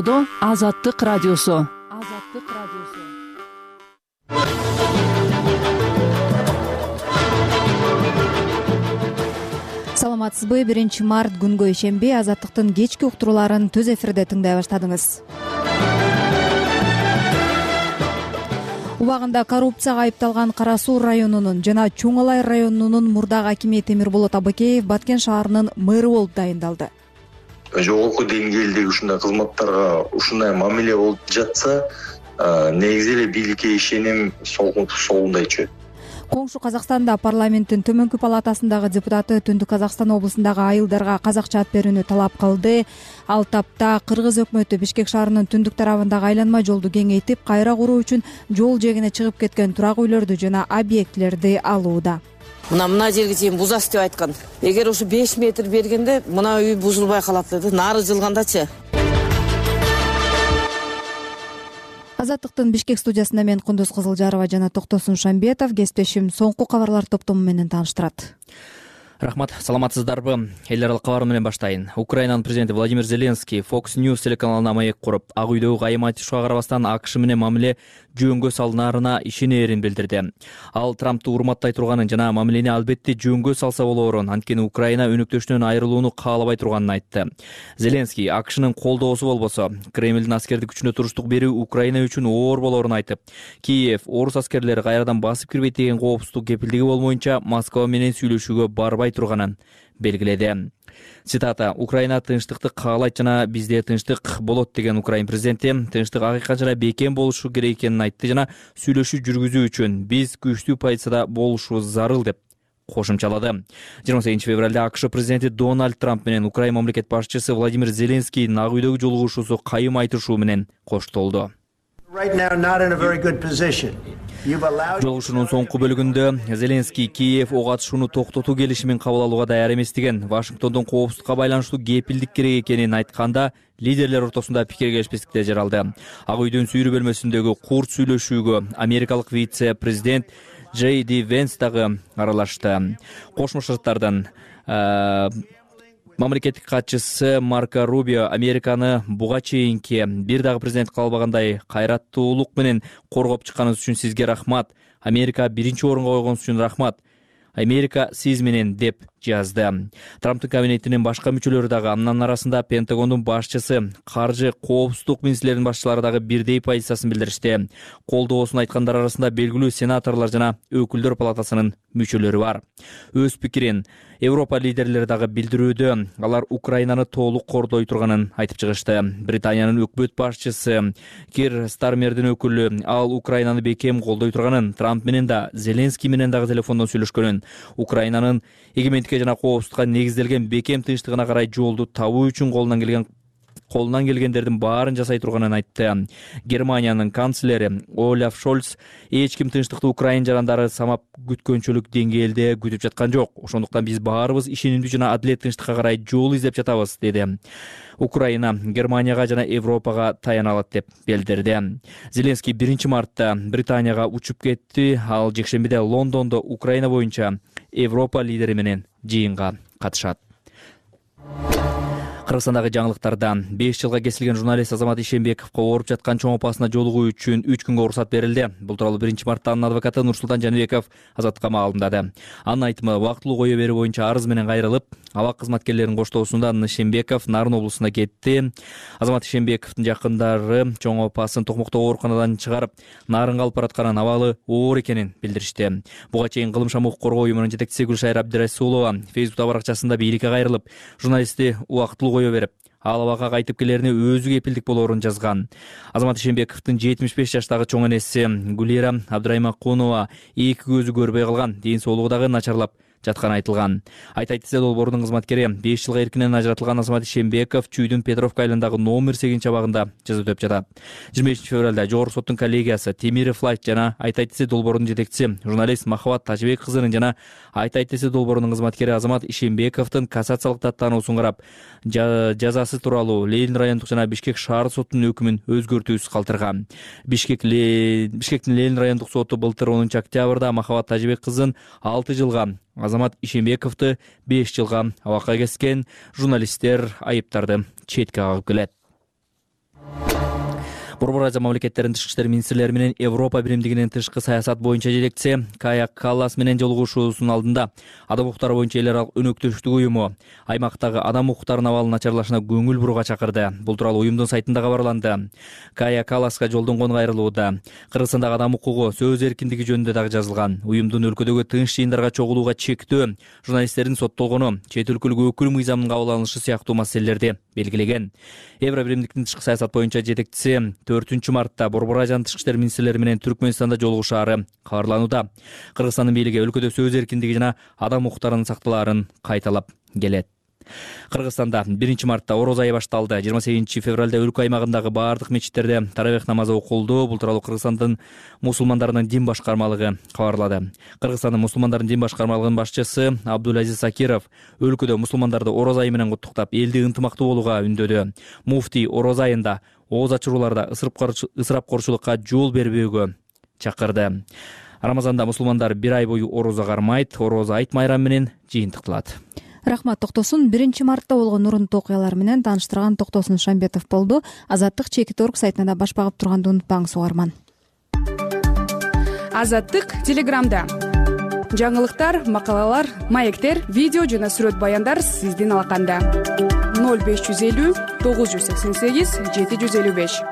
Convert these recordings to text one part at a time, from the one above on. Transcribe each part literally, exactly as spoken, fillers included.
токтогудо Азаттык радиосу. Азаттык радиосу. Саламатсызбы? биринчи март күнгө ишенбей Азаттыктын кечки уктурууларын төз эфирде тыңдай баштадыңыз. Убагында коррупцияга айыпталган Кара Суу районунун жана Чоң Алай районунун мурдагы акими Темирболот Абыкеев Баткен шаарынын мэрі болуп дайындалды. Жогорку деңгээлдеги ушундай кызматтарга ушундай мамиле болуп жатса, негизи эле бийликке ишеним солундай чөйт. Коңшу Казакстанда парламенттин төмөнкү палатасындагы депутаты Түндүк Казакстан облусундагы айылдарга казакча ат берүүнү талап кылды. Ал тапта Кыргыз өкмөтү Бишкек шаарынын түндүк тарабындагы айланма жолду кеңейтип, кайра куруу үчүн жол жээгине чыгып кеткен турак үйлөрдү жана объектилерди алууда. Мына мына жерге чейин бузас деп айткан. Эгер ушу беш метр бергенде мына үй бузулбай калат деди. Нары жылгандачы. Азаттыктын Бишкек студиясында мен Кундуз Кызылжарова жана Токтосун Шамбетов кесиптешим соңку кабарлар топтому менен тааныштырат. Рахмат, саламатсыздарбы? Эл аралык кабар менен баштайын. Украинанын президенти Владимир Зеленский Fox News телеканалына маек куруп, Ак үйдөгү кайым айтышууга карабастан АКШ менен мамиле жөнгө салынаарына ишенерин билдирди. Ал Трампту урматтай турганын жана мамилени албетте жөнгө салса болоорун, анткени Украина өнөктөшүнөн айрылууну каалабай турганын айтты. Зеленский АКШнын колдоосу болбосо, Кремлдин аскердик күчүнө туруштук берүү Украина үчүн оор болоорун айтып, Киев орус аскерлери кайрадан басып кирбейт деген коопсуздук кепилдиги болмоюнча Москва менен сүйлөшүүгө барбай турганын белгиледи. Цитата: Украина тынчтыкты каалайт жана бизде тынчтык болот деген Украин президенти тынчтык акыйкат жана бекем болушу керек экенин айтты жана сүйлөшүү жүргүзүү үчүн биз күчтүү позицияда болушубуз зарыл деп кошумчалады. жыйырма сегизинчи февралда АКШ президенти Дональд Трамп менен Украина мамлекет башчысы Владимир Зеленскийдин Ак үйдөгү жолугушуусу кайым айтышуу менен коштолду. Жолугушуунун соңку бөлүгүндө Зеленский Киев ок атышууну токтотуу келишимин кабыл алууга даяр эмес деген, Вашингтондун коопсуздукка байланыштуу кепилдик керек экенин айтканда, лидерлер ортосунда пикир келишпестиктер жаралды. Ак үйдүн сүйрүү бөлмөсүндөгү курт сүйлөшүүгө америкалык вице-президент Джей Ди Венс дагы аралашты. Кошмо Шаттардын мамлекеттик катчысы Марко Рубио Американы буга чейинки бир дагы президент калбагандай кайраттуулук менен коргоп чыкканыңыз үчүн сизге рахмат. Америка биринчи орунга койгонуңуз үчүн рахмат. Америка сиз менен деп жазды. Трамптын кабинетинин башка мүчөлөрү дагы, анын арасында Пентагондун башчысы, каржы, коопсуздук министрлеринин башчылары дагы бирдей позициясын билдиришти. Колдоосун айткандар арасында белгилүү сенаторлор жана өкүлдөр палатасынын мүчөлөрү бар. Өз пикирин Европа лидерлери дагы билдирүүдө, алар Украинаны толук кордой турганын айтып чыгышты. Британиянын өкмөт башчысы Кир Стармердин өкүлү ал Украинаны бекем колдой турганын, Трамп менен да Зеленский менен дагы телефондон сүйлөшкөнүн, Украинанын эгемендикке жана коопсуздукка негизделген бекем тынчтыгына карай жолду табуу үчүн колунан келген колунан келгендердин баарын жасай турганын айтты. Германиянын канцлери Олаф Шольц эч ким тынчтыкты Украина жарандары самап күткөнчөлүк деңгээлде күтүп жаткан жок. Ошондуктан биз баарыбыз ишенимдүү жана адилет тынчтыкка карай жол издеп жатабыз, деди. Украина Германияга жана Европага таяна алат деп билдирди. Зеленский биринчи мартта Британияга учуп кетти. Ал жекшембиде Лондондо Украина боюнча Европа лидери менен жыйынга катышат. Кыргызстандагы жаңылыктардан беш жылга кесилген журналист Азамат Ишенбековго ооруп жаткан чоң апасына жолугуу үчүн үч күнгө уруксат берилди. Бул тууралуу биринчи мартта анын адвокаты Нурсултан Жаныбеков Азаттыкка маалымдады. Анын айтымы, убактылуу кое берүү боюнча арыз менен кайрылып, абак кызматкерлеринин коштоосунда Ишенбеков Нарын облусуна кетти. Азамат Ишенбековдун жакындары чоң апасын Токмоктогу ооруканадан чыгарып, Нарынга алып баратканын, абалы оор экенин билдиришти. Буга чейин Кылым шамуу коргоо уюмунун жетекчиси Гүлшайыр Абдирасулова Фейсбук баракчасында бийликке кайрылып, журналистти убактылуу берип, ал абакка кайтып келерине өзү кепилдик болоорун жазган. Азамат Ишенбековдун жетимиш беш жаштагы чоң энеси Гулира Абдраймакунова эки көзү көрбөй калган, ден соолугу дагы начарлап жатканы айтылган. Айта кетсе, долбоордун кызматкери беш жылга эркинен ажыратылган Азамат Ишенбеков Чүйдүн Петровка айылындагы номер сегизинчи абагында жаза өтөп жатат. жыйырма бешинчи февралда Жогорку соттун коллегиясы Темиров Лайт жана Айта кетсе долбоордун жетекчиси журналист Махабат Тажыбек кызынын жана Айта кетсе долбоорунун кызматкери Азамат Ишенбековдун кассациялык даттаануусун карап, жазасы тууралуу Ленин райондук жана Бишкек шаар сотунун өкүмүн өзгөртүүсүз калтырган. Бишкек Бишкектин Ленин райондук соту былтыр онунчу октябрда Махабат Тажыбек кызын алты жылга, Азамат Ишенбековду беш жылга абакка кескен. Журналисттер айыптарды четке кагып келет. Борбор Азия мамлекеттеринин тышкы иштер министрлери менен Европа биримдигинин тышкы саясат боюнча жетекчиси Кая Каллас менен жолугушуусунун алдында адам укуктары боюнча эл аралык өнөктөштүк уюму аймактагы адам укуктарынын абалынын начарлашына көңүл бурууга чакырды. Бул тууралуу уюмдун сайтында кабарланды. Кая Калласка жолдонгон кайрылууда Кыргызстандагы адам укугу, сөз эркиндиги жөнүндө дагы жазылган. Уюмдун өлкөдөгү тынч жыйындарга чогулууга чектөө, журналисттердин соттолгону, чет өлкөлүк өкүл мыйзамынын кабыл алынышы сыяктуу маселелерди белгилеген. Евро биримдиктин тышкы саясат боюнча жетекчиси төртүнчү мартта Борбор Азиянын тышкы иштер министрлери менен Түркмөнстанда жолугушаары кабарланууда. Кыргызстандын бийлиги өлкөдө сөз эркиндиги жана адам укуктарынын сакталаарын кайталап келет. Кыргызстанда биринчи мартта ороз айы башталды. жыйырма сегизинчи февралда өлкө аймагындагы бардык мечиттерде таравих намазы окулду. Бул тууралуу Кыргызстандын мусулмандарынын дин башкармалыгы кабарлады. Кыргызстандын мусулмандарынын дин башкармалыгынын башчысы Абдулазиз Акиров өлкөдө мусулмандарды ороз айы менен куттуктап, элди ынтымактуу болууга үндөдү. Муфтий ороз айында ооз ачырууларда ысырапкорчулукка жол бербөөгө чакырды. Рамазанда мусулмандар бир ай бою орозо кармайт, ороз айт майрамы менен жыйынтыкталат. Рахмат Токтосун. биринчи мартта болгон урунтуу окуялар менен тааныштырган Токтосун Шамбетов болду. Азаттык чекит точка орг сайтына да баш багып турганды унутпаңыз угарман. Азаттык Телеграмда жаңылыктар, макалалар, маектер, видео жана сүрөт баяндар сиздин алаканда. ноль беш жүз элүү тогуз жүз сексен сегиз жети жүз элүү беш.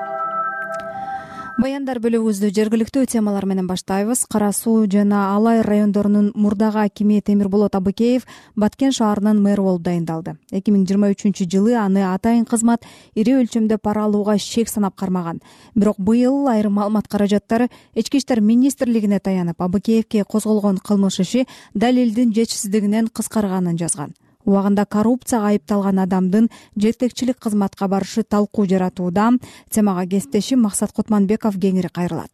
Баяндар бөлүгүбүздү жергиликтүү темалар менен баштайбыз. Кара Суу жана Алай райондорунун мурдагы акими Темирболот Абыкеев Баткен шаарынын мэрі болуп дайындалды. эки миң жыйырма үчүнчү жылы аны атайын кызмат ири өлчөмдө пара алууга шек санап кармаган. Бирок быйыл айрым маалымат каражаттары Ички иштер министрлигине таянып, Абыкеевке козголгон кылмыш иши далилдин жетишсиздигинен кыскарганын жазган. Убагында коррупцияга айыпталган адамдын жетекчилик кызматка барышы талкуу жаратууда. Темага кесиптешим Максат Кутманбеков кеңири кайрылат.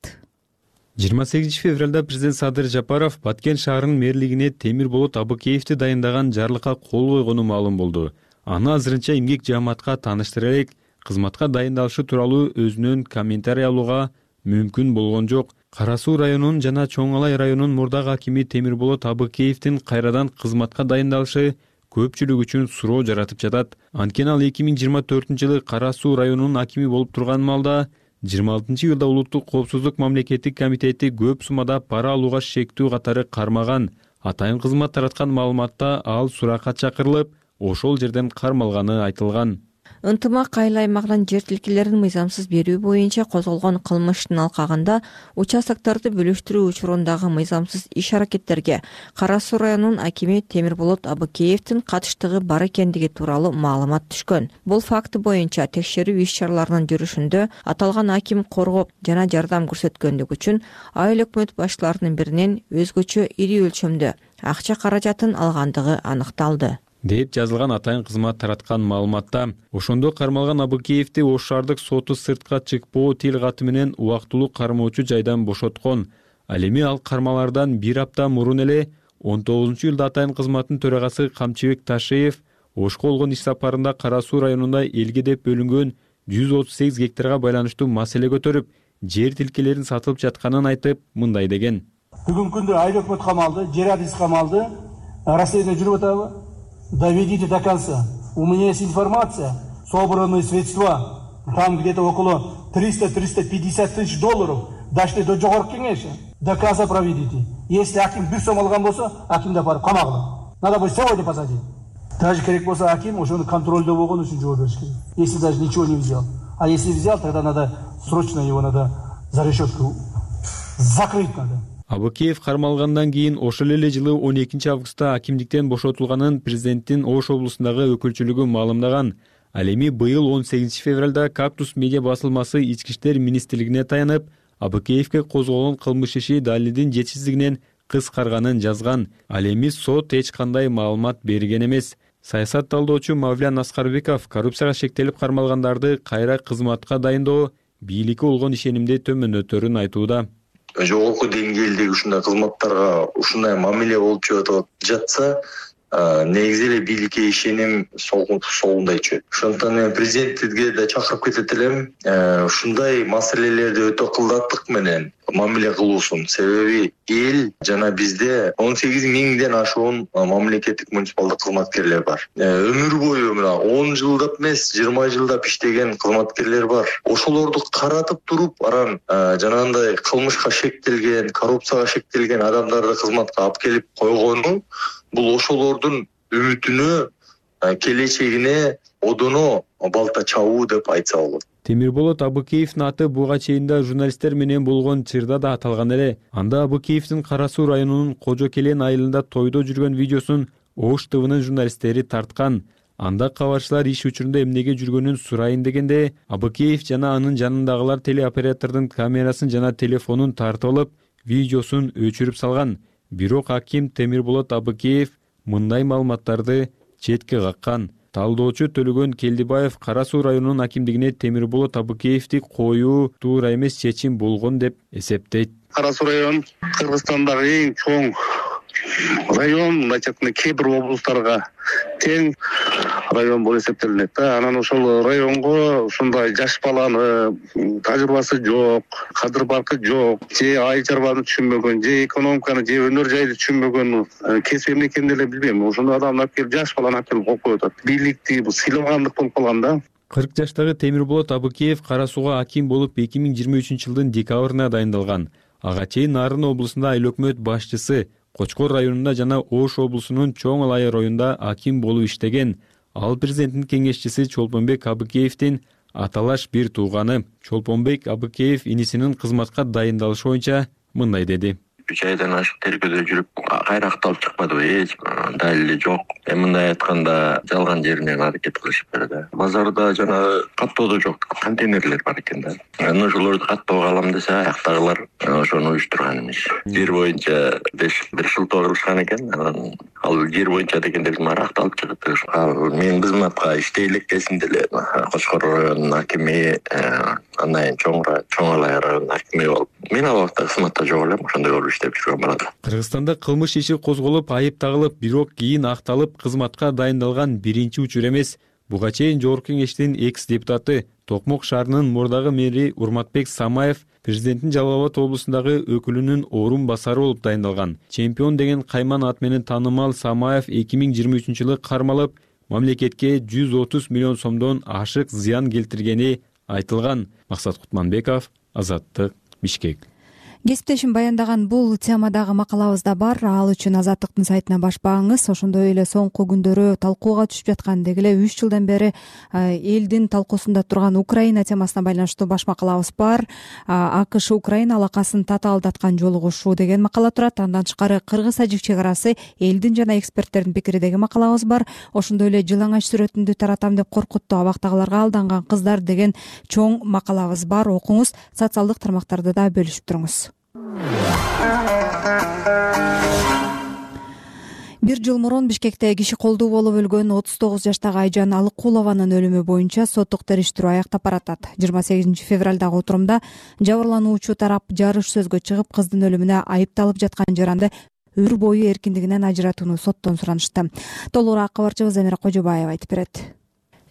жыйырма сегизинчи февралда президент Садыр Жапаров Баткен шаарынын мэрлигине Темирболот Абыкеевди дайындаган жарлыкка кол койгону маалым болду. Аны азырынча эмгек жааматка тааныштыра элек, кызматка дайындалышы тууралуу өзүнөн комментарий алууга мүмкүн болгон жок. Кара Суу районунун жана Чоң Алай районунун мурдагы акими Темирболот Абыкеевдин кайрадан кызматка дайындалышы көпчүлүк үчүн суроо жаратып жатат. Анткени ал эки миң жыйырма төртүнчү жылы Кара Суу районунун акими болуп турган маалда жыйырма алтынчы июлда Улуттук коопсуздук мамлекеттик комитети көп суммада пара алууга шектүү катары кармаган. Атайын кызмат тараткан маалыматта ал суракка чакырылып, ошол жерден кармалганы айтылган. Ынтымак айыл аймагынан жер тилкелерин мыйзамсыз берүү боюнча козголгон кылмыштын алкагында участокторду бөлүштүрүү учурундагы мыйзамсыз иш аракеттерге Кара Суу районунун акими Темирболот Абыкеевдин катыштыгы бар экендиги тууралуу маалымат түшкөн. Бул факты боюнча текшерүү иш чараларынын жүрүшүндө аталган аким коргоп жана жардам көрсөткөндүгү үчүн айыл өкмөт башчыларынын биринен өзгөчө ири өлчөмдө акча каражатын алгандыгы аныкталды деп жазылган атайын кызмат тараткан маалыматта. Ошондо кармалган Абыкеевди Ош шаардык соту сыртка чыкпоо тил каты менен убактылуу кармоочу жайдан бошоткон. Ал эми ал кармалардан бир апта мурун эле он тогузунчу июлда атайын кызматтын төрагасы Камчыбек Ташеев Ошко болгон иш сапарында Кара Суу районунда элге деп бөлүнгөн жүз отуз сегиз гектарга байланыштуу маселе көтөрүп, жер тилкелерин сатылып жатканын айтып, мындай деген. Бүгүнкү күндө айыл өкмөт камалды, жер адис камалды, расследование жүрүп атабы? Доведите до конца. У меня есть информация, собранные средства, там где-то около триста — триста пятьдесят тысяч долларов, дошли до жогорку кеңеши. До конца проведите. Если аким бир сом алган болсо, акимди апарып камагыла. Надо будет сегодня посадить. Даже керек болсо аким ошону контролдо болгон үчүн жооп бериш керек. Если даже ничего не взял. А если взял, тогда надо срочно его надо за решетку закрыть надо. Абыкеев кармалгандан кийин ошол эле жылы он экинчи августта акимдиктен бошотулганын президенттин Ош облусундагы өкүлчүлүгү маалымдаган. Ал эми быйыл он сегизинчи февралда Кактус медиа басылмасы Ички иштер министрлигине таянып, Абыкеевке козголгон кылмыш иши далилдин жетишсиздигинен кыскарганын жазган. Ал эми сот эч кандай маалымат берген эмес. Саясат талдоочу Мавлян Аскарбеков коррупцияга шектелип кармалгандарды кайра кызматка дайындоо бийликке болгон ишенимди төмөнөтөрүн айтууда. Жогорку деңгээлдеги ушундай кызматтарга ушундай мамиле болуп жатса, негизи эле бийликке ишеним солундай чөйт. Ошондуктан мен президентке да чакырып кетет элем, ушундай маселелерди өтө кылдаттык менен мамиле кылуусун. Себеби эл жана бизде он сегиз миңден ашуун мамлекеттик муниципалдык кызматкерлер бар. Өмүр бою мына он жылдап эмес, жыйырма жылдап иштеген кызматкерлер бар. Ошолорду каратып туруп, аран жанагындай кылмышка шектелген, коррупцияга шектелген адамдарды кызматка алып келип койгону бул ошолордун үмүтүнө, келечегине одоно балта чабуу деп айтса болот. Темирболот Абыкеевдин аты буга чейин да журналисттер менен болгон чырда да аталган эле. Анда Абыкеевдин Кара Суу районунун Кожо Келен айылында тойдо жүргөн видеосун Ош ТВнын журналисттери тарткан. Анда кабарчылар иш учурунда эмнеге жүргөнүн сурайын дегенде, Абыкеев жана анын жанындагылар телеоператордун камерасын жана телефонун тартып алып, видеосун өчүрүп салган. Бирок аким Темирболот Абыкеев мындай маалыматтарды четке каккан. Талдоочу Төлөгөн Келдибаев Кара Суу районунун акимдигине Темирболот Абыкеевди коюу туура эмес чечим болгон деп эсептейт. Кара Суу район Кыргызстандагы эң чоң район, мындайча айтканда кээ бир облустарга тең район болуп эсептелинет да. Анан ошол районго ушундай жаш баланы, тажрыйбасы жок, кадыр баркы жок, же айыл чарбаны түшүнбөгөн, же экономиканы, же өнөр жайды түшүнбөгөн, кесип эмне экенин деле билбейм. Ошондой адамды алып келип, жаш баланы алып келип коюп коюп атат. Бийликти бул сыйламгандык болуп калган да. кырк жаштагы Темирболот Абыкеев Кара Сууга аким болуп эки миң жыйырма үчүнчү жылдын декабрына дайындалган. Ага чейин Нарын облусунда айыл өкмөт башчысы, Кочкор районунда жана Ош облусунун Чоң Алай районунда аким болуп иштеген. Ал президенттин кеңешчиси Чолпонбек Абыкеевдин аталаш бир тууганы. Чолпонбек Абыкеев инисинин кызматка дайындалышы боюнча мындай деди. үч айдан ашык тергөөдө жүрүп, кайра акталып чыкпадыбы, эч далили жок. Эми мындай айтканда жалган жеринен аракет кылышып берди. Базарда жана каттоодо жок, контейнерлер бар экен да. Анан ошолорду каттоого алам десе, аяктагылар ошону уюштурган эмес. Жер боюнча беш бир шылтоо кылышкан экен. Анан ал жер боюнча дегенде бир акталып чыгып, мен кызматка иштей элеккесинде эле Кочкор районунун акими, андан чоң чоң Алай районунун акими болуп, мен ал убакта кызматта жок элем, ошондой болуп иштеп жүргөн балада. Кыргызстанда кылмыш иши козголуп, айып тагылып, бирок кийин акталып, кызматка дайындалган биринчи учур эмес. Буга чейин Жогорку Кеңештин экс депутаты, Токмок шаарынын мурдагы мэри Урматбек Самаев президенттин Жалал Абад облусундагы өкүлүнүн орун басары болуп дайындалган. Чемпион деген кайман ат менен таанымал Самаев эки миң жыйырма үчүнчү жылы кармалып, мамлекетке жүз отуз миллион сомдон ашык зыян келтиргени айтылган. Максат Кутманбеков, Азаттык, Бишкек. Кесиптешим баяндаган бул темадагы макалабызда бар. Ал үчүн Азаттыктын сайтына баш бааңыз. Ошондой эле соңку күндөрү талкууга түшүп жаткан деги эле үч жылдан бери элдин талкуусунда турган Украина темасына байланыштуу баш макалабыз бар. АКШ Украина алакасын татаалдаткан жолугушуу деген макала турат. Андан тышкары Кыргыз-Тажик чек арасы элдин жана эксперттердин пикири деген макалабыз бар. Ошондой эле жылаңач сүрөтүндү таратам деп коркутту абактагыларга алданган кыздар деген чоң макалабыз бар. Окуңуз, социалдык тармактарда да бөлүшүп туруңуз. Бир жыл мурун Бишкекте киши колдуу болуп өлгөн отуз тогуз жаштагы Айжан Алыкулованын өлүмү боюнча соттук териштирүү аяктап баратат. жыйырма сегизинчи февралдагы отурумда жабырлануучу тарап жарыш сөзгө чыгып, кыздын өлүмүнө айыпталып жаткан жаранды өмүр бою эркиндигинен ажыратууну соттон суранышты. Толугураак кабарчыбыз Замира Кожобаева айтып берет.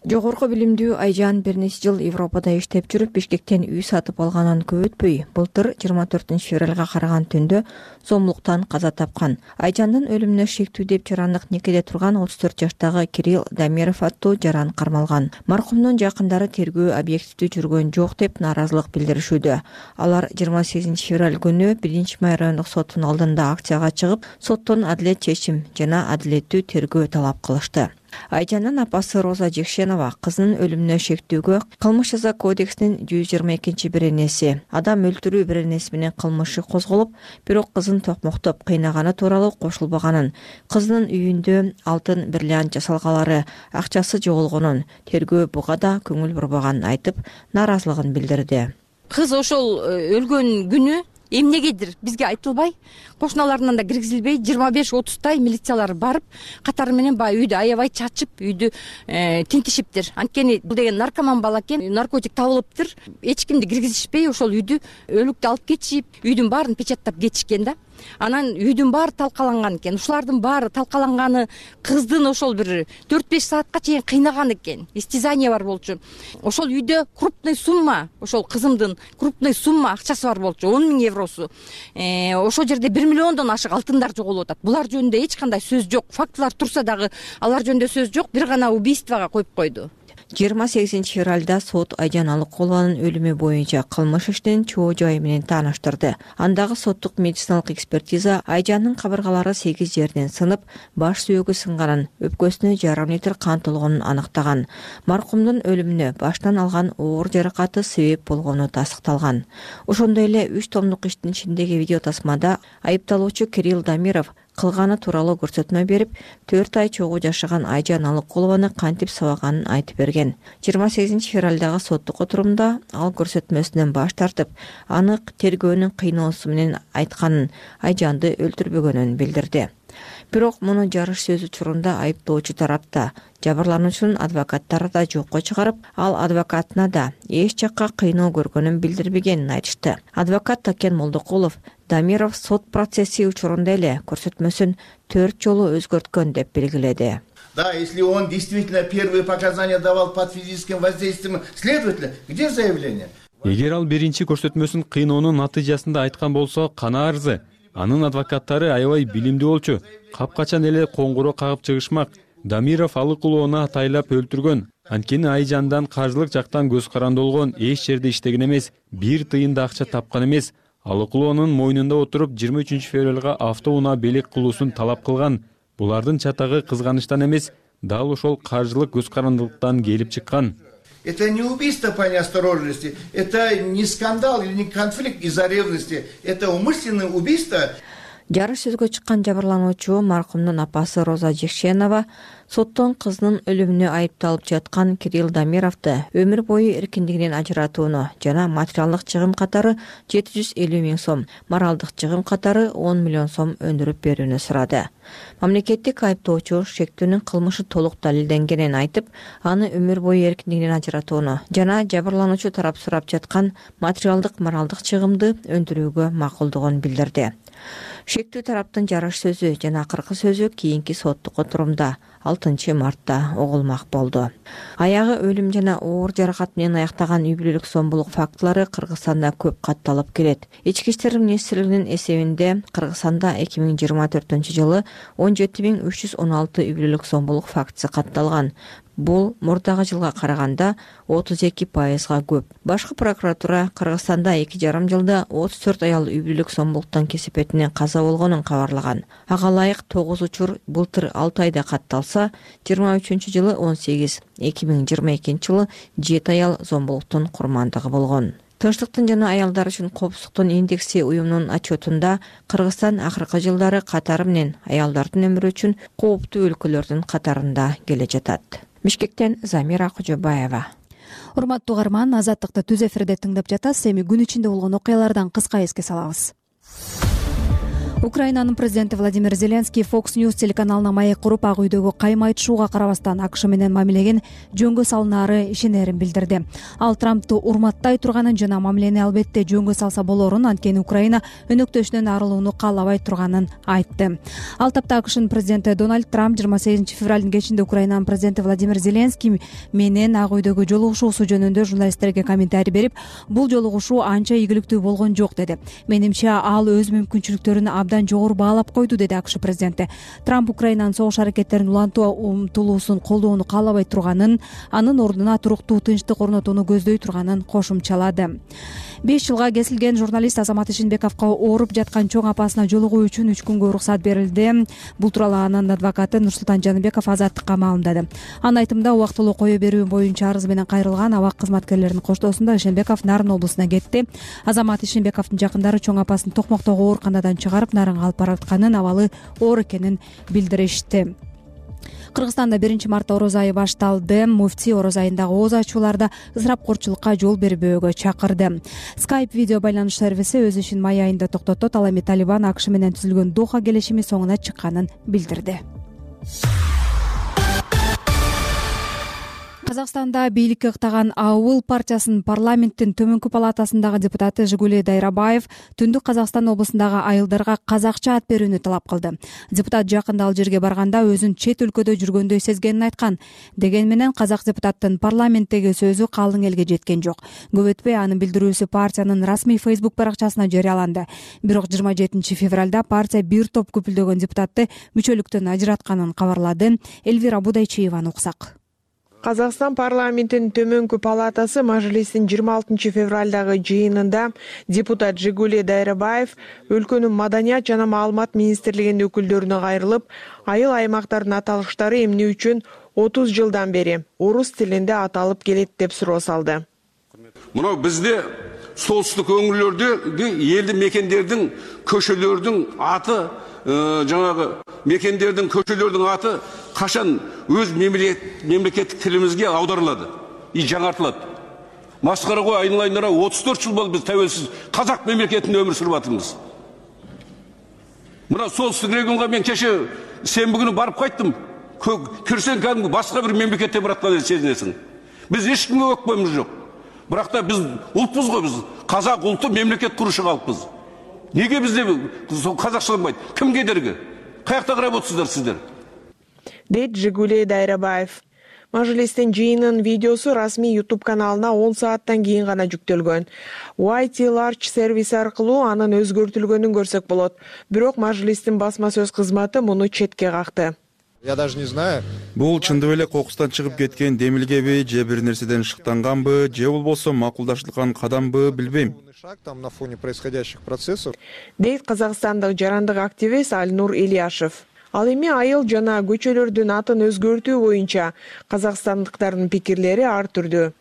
Жогорку билимдүү Айжан бир нече жыл Европада иштеп жүрүп, Бишкектен үй сатып алганын көп өтпөй, былтыр жыйырма төртүнчү февралга караган түндө сомдуктан каза тапкан. Айжандын өлүмүнө шектүү деп жарандык некеде турган отуз төрт жаштагы Кирилл Дамиров аттуу жаран кармалган. Маркумдун жакындары тергөө объективдүү жүргөн жок деп нааразылык билдиришүүдө. Алар жыйырма сегизинчи февраль күнү биринчи май райондук соттун алдында акцияга чыгып, соттон адилет чечим жана адилеттүү тергөө талап кылышты. Айжандын апасы Роза Жекшенова кызынын өлүмүнө шектүүгө кылмыш жаза кодексинин жүз жыйырма экинчи беренеси адам өлтүрүү беренеси менен кылмышы козголуп, бирок кызын токмоктоп кыйнаганы тууралуу кошулбаганын, кызынын үйүндө алтын бриллиант жасалгалары, акчасы жоголгонун, тергөө буга да көңүл бурбаганын айтып, нааразылыгын билдирди. Кыз ошол өлгөн күнү эмнегедир бизге айтылбай, кошуналарынан да киргизилбей, жыйырма беш отуздай милициялар барып, катары менен баягы үйдү аябай чачып, үйдү тинтишиптир. Анткени бул деген наркоман бала экен, наркотик табылыптыр. Эч кимди киргизишпей, ошол үйдү өлүктү алып кетишип, үйдүн баарын печаттап кетишкен да. анан үйдүн баары талкаланган экен. Ушулардын баары талкаланганы кыздын ошол бир төрт беш саатка чейин кыйнаган экен. Истязание бар болчу. Ошол үйдө крупный сумма, ошол кызымдын крупный сумма акчасы бар болчу, он миң евросу. Ошол жерде бир миллиондон ашык алтындар жоголуп атат. Булар жөнүндө эч кандай сөз жок. Фактылар турса дагы алар жөнүндө сөз жок. Бир гана убийствого коюп койду. жыйырма сегизинчи февралда сот Айжан Алыкулованын өлүмү боюнча кылмыш ишинин чоо жайы менен тааныштырды. Андагы соттук медициналык экспертиза Айжандын кабыргалары сегиз жерден сынып, баш сүйөгү сынганын, өпкөсүнө жарым литр кан толгонун аныктаган. Маркумдун өлүмүнө баштан алган оор жаракаты себеп болгону тастыкталган. Ошондой эле үч томдук иштин ичиндеги видео тасмада айыпталуучу Кирилл Дамиров кылганы тууралуу көрсөтмө берип, төрт ай чогуу жашаган Айжан Алыкулованы кантип сабаганын айтып берген. жыйырма сегизинчи февралдагы соттук отурумда ал көрсөтмөсүнөн баш тартып, анык тергөөнүн кыйноосу менен айтканын, Айжанды өлтүрбөгөнүн билдирди. Бирок муну жарыш сөз учурунда айыптоочу тарапта, жабырлануучунун адвокаттары да жокко чыгарып, ал адвокатына да эч жакка кыйноо көргөнүн билдирбегенин айтышты. Адвокат Такен Молдокулов Дамиров сот процесси учурунда эле көрсөтмөсүн төрт жолу өзгөрткөн деп белгиледи. Да, если он действительно первые показания давал под физическим воздействием следователя, где заявление? Эгер ал биринчи көрсөтмөсүн кыйноонун натыйжасында айткан болсо, кана арызы? Анын адвокаттары аябай билимдүү болчу. Капкачан эле коңгуроо кагып чыгышмак. Дамиров Алыкулованы атайлап өлтүргөн. Анткени Айжандан каржылык жактан көз каранды болгон, эч жерде иштеген эмес, бир тыйын да акча тапкан эмес. Алыкулованын мойнунда отуруп жыйырма үчүнчү февралга автоунаа белек кылуусун талап кылган. Булардын чатагы кызганычтан эмес, дал ошол каржылык көз карандылыктан келип чыккан. Это не убийство по неосторожности, это не скандал или не конфликт из-за ревности, это умышленное убийство. Жарыш сөзгө чыккан жабырлануучу маркумдун апасы Роза Жекшенова соттон кызынын өлүмүнө айыпталып жаткан Кирилл Дамировду өмүр бою эркиндигинен ажыратууну жана материалдык чыгым катары жети жүз элүү миң сом, моралдык чыгым катары он миллион сом өндүрүп берүүнү сурады. Мамлекеттик айыптоочу шектүүнүн кылмышы толук далилденгенин айтып, аны өмүр бою эркиндигинен ажыратууну жана жабырлануучу тарап сурап жаткан материалдык моралдык чыгымды өндүрүүгө макулдугун билдирди. Шектүү тараптын жарыш сөзү жана акыркы сөзү кийинки соттук отурумда алтынчы мартта угулмак болду. Аягы өлүм жана оор жаракат менен аяктаган үй бүлөлүк зомбулук фактылары Кыргызстанда көп катталып келет. Ички иштер министрлигинин эсебинде Кыргызстанда эки миң жыйырма төртүнчү жылы он жети миң үч жүз он алты үй бүлөлүк зомбулук фактысы катталган. Бул мурдагы жылга караганда отуз эки пайызга көп. Башкы прокуратура Кыргызстанда эки жарым жылда отуз төрт аял үй бүлөлүк зомбулуктан кесепетинен каза болгонун кабарлаган. Ага ылайык тогуз учур былтыр алты айда катталса, жыйырма үчүнчү жылы он сегиз, эки миң жыйырма экинчи жылы жети аял зомбулуктун курмандыгы болгон. Тынчтыктын жана аялдар үчүн коопсуздуктун индекси уюмунун отчетунда Кыргызстан акыркы жылдары катары менен аялдардын өмүрү үчүн кооптуу өлкөлөрдүн катарында келе жатат. Бишкектен Замира Кожобаева. Урматтуу угарман, Азаттыкты түз эфирде тыңдап жатасыз. Эми күн ичинде болгон окуялардан кыска эске салабыз. Украинанын президенти Владимир Зеленский Fox News телеканалына маек куруп, Ак үйдөгү кайма айтышууга карабастан АКШ менен мамилеген жөнгө салынаары ишенерин билдирди. Ал Трампту урматтай турганын жана мамилени албетте жөнгө салса болорун, анткени Украина өнөктөшүнөн арылууну каалабай турганын айтты. Ал тапта АКШнын президенти Дональд Трамп жыйырма сегизинчи февралдын кечинде Украинанын президенти Владимир Зеленский менен Ак үйдөгү жолугушуусу жөнүндө журналисттерге комментарий берип, бул жолугушуу анча ийгиликтүү болгон жок деди. Менимче ал өз мүмкүнчүлүктөрүн абдан жогору баалап койду, деди АКШ президенти. Трамп Украинанын согуш аракеттерин улантуу умтулуусун колдоону каалабай турганын, анын ордуна туруктуу тынчтык орнотууну көздөй турганын кошумчалады. беш жылга кесилген журналист Азамат Ишенбековго ооруп жаткан чоң апасына жолугуу үчүн үч күнгө уруксат берилди. Бул тууралуу анын адвокаты Нурсултан Жаныбеков Азаттыкка маалымдады. Анын айтымында, убактылуу кое берүү боюнча арыз менен кайрылган абак кызматкерлеринин коштоосунда Ишенбеков Нарын облусуна кетти. Азамат Ишенбековдун жакындары чоң апасын Токмоктогу ооруканадан чыгарып, Нарынга алып баратканын, абалы оор экенин билдиришти. Кыргызстанда биринчи мартта орозо айы башталды. Муфтий орозо айындагы ооз ачууларда ысырапкорчулукка жол бербөөгө чакырды. Skype видео байланыш сервиси өз ишин май айында токтотот. Ал эми Талибан АКШ менен түзүлгөн Доха келишими соңуна чыкканын билдирди. Казакстанда бийликке ыктаган АУЛ партиясынын парламенттин төмөнкү палатасындагы депутаты Жигуле Дайрабаев Түндүк Казакстан облусундагы айылдарга казакча ат берүүнү талап кылды. Депутат жакында ал жерге барганда өзүн чет өлкөдө жүргөндөй сезгенин айткан. Дегени менен казак депутаттын парламенттеги сөзү калың элге жеткен жок. Көп өтпөй анын билдирүүсү партиянын расмий Facebook баракчасына жарыяланды. Бирок жыйырма жетинчи февралда партия бир топ көпүлдөгөн депутатты мүчөлүктөн ажыратканын кабарлады. Элвира Будайчиеваны уксак. Казакстан парламентинин төмөнкү палатасы Мажлистин жыйырма алтынчы февралдагы жыйынында депутат Жигуле Дайрабаев өлкөнүн маданият жана маалымат министрлигинин өкүлдөрүнө кайрылып, айыл аймактардын аталыштары эмне үчүн отуз жылдан бери орус тилинде аталып келет деп суроо салды. Мына бизде солтүстүк өңүрлөрдө элди мекендердин көчөлөрдүн аты жаңағы мекендердің көшелердің аты қашан өз мемлекеттік тілімізге аударылады и жаңартылады. Масқара ғой, айналайындара отуз төрт жыл болды біз тәуелсіз қазақ мемлекетінде өмір сүріп жатырмыз. Мына солтүстік регионға мен кеше сенбі күні барып қайттым. Кірсең кәдімгі басқа бір мемлекетте баратқан сезінесің. Біз ешкімге өкпеміз жоқ. Бірақ та біз ұлтпыз ғой, біз қазақ ұлты мемлекет құрушы халықпыз. Неге бізде қазақшаланбайды? Кім кедергі? Қаяқта қарап отырсыздар сіздер? Дейт Жигуле Дайрабаев. Мажлистин жыйынынын видеосу расмий YouTube каналына он сааттан кийин гана жүктөлгөн. уай ти Large сервиси аркылуу анын өзгөртүлгөнүн көрсөк болот. Бирок Мажлистин басма сөз кызматы муну четке какты. Я даже не знаю. Бул чындап эле кокустан чыгып кеткен демилгеби, же бир нерседен шыктанганбы, же болбосо макулдаштырылган кадамбы билбейм. Там на фоне происходящих процессов. Дейт казакстандык жарандык активист Альнур Ильяшев. Ал эми айыл жана көчөлөрдүн атын өзгөртүү боюнча казакстандыктардын пикирлери ар түрдүү.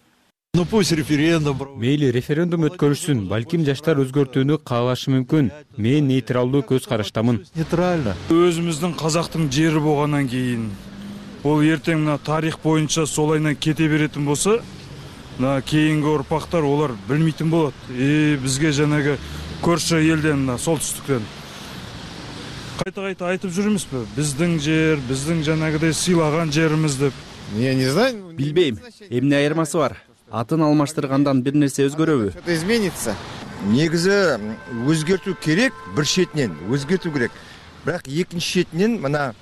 Ну пусть референдум. Мейли референдум өткөрүшсүн, балким жаштар өзгөртүүнү каалашы мүмкүн. Мен нейтралдуу көз караштамын. Нейтрально. Өзүмүздүн казактын жери болгондон кийин, бул эртең мына тарих боюнча солайынан кете беретин болсо, мына кийинки урпактар олар билмейтин болот. И бизге жанагы көршү элден, мына солтүстүктөн кайта-кайта айтып жүрмүзбү? Биздин жер, биздин жанагыдай сыйлаган жерибиз деп. Я не знаю. Билбейм, эмне айырмасы бар? Атын алмаштыргандан бир нерсе өзгөрөбү? Что-то изменится. Негизи өзгөртүү керек, бир четинен өзгөртүү керек. Бирок экинчи четинен мына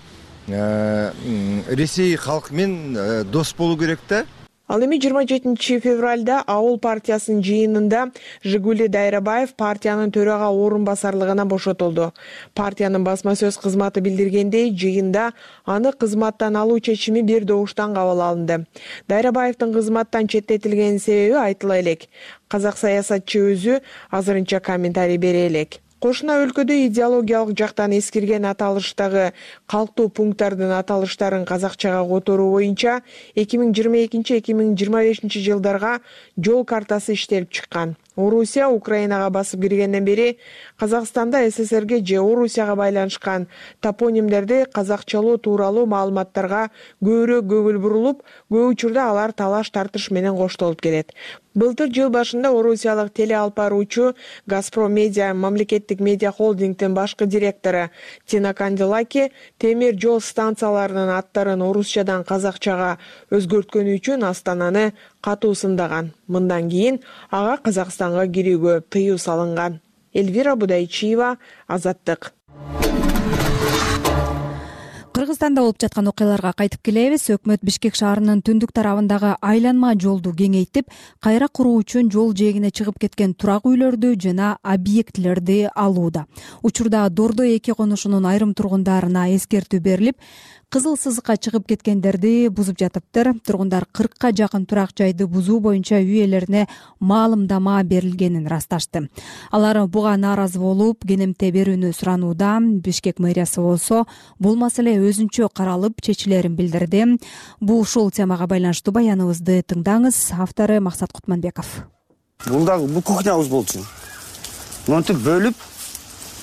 Ресей халкы менен дос болуу керек да. Ал эми жыйырма жетинчи февралда Ауыл партиясынын жыйынында Жигуле Дайрабаев партиянын төрага орун басарлыгына бошотулду. Партиянын басма сөз кызматы билдиргендей, жыйында аны кызматтан алуу чечими бир добуштан кабыл алынды. Дайрабаевдин кызматтан четтетилгенин себеби айтыла элек. Казак саясатчы өзү азырынча комментарий бере элек. Кошуна өлкөдө идеологиялык жактан эскирген аталыштагы калктуу пункттардын аталыштарын казакчага которуу боюнча эки миң жыйырма экинчи эки миң жыйырма бешинчи жылдарга жол картасы иштелип чыккан. Орусия Украинага басып киргенден бери Казакстанда СССРге же Орусияга байланышкан топонимдерди казакчалоо тууралуу маалыматтарга көбүрөөк көңүл бурулуп, көп учурда алар талаш тартыш менен коштолуп келет. Былтыр жыл башында орусиялык телеалпаруучу Газпром Медиа мамлекеттик медиа холдингдин башкы директору Тина Кандилаки темир жол станцияларынын аттарын орусчадан казакчага өзгөрткөнү үчүн Астананы катуу сындаган. Мындан кийин ага Казакстанга кирүүгө тыюу салынган. Элвира Будайчиева, Азаттык. Кыргызстанда болуп жаткан окуяларга кайтып келебиз. Өкмөт Бишкек шаарынын түндүк тарабындагы айланма жолду кеңейтип, кайра куруу үчүн жол жээгине чыгып кеткен турак үйлөрдү жана объектилерди алууда. Учурда Дордо эки конушунун айрым тургундарына эскертүү берилип, кызыл сызыкка чыгып кеткендерди бузуп жатыптыр. Тургундар кыркка жакын турак жайды бузуу боюнча үй ээлерине маалымдама берилгенин расташты. Алар буга нааразы болуп, кенемте берүүнү суранууда. Бишкек мэриясы болсо бул маселе өзүнчө каралып, чечилерин билдирди. Бул ушул темага байланыштуу баяныбызды тыңдаңыз. Автору Максат Кутманбеков. Бул дагы бул кухнябыз болчу. Монтип бөлүп,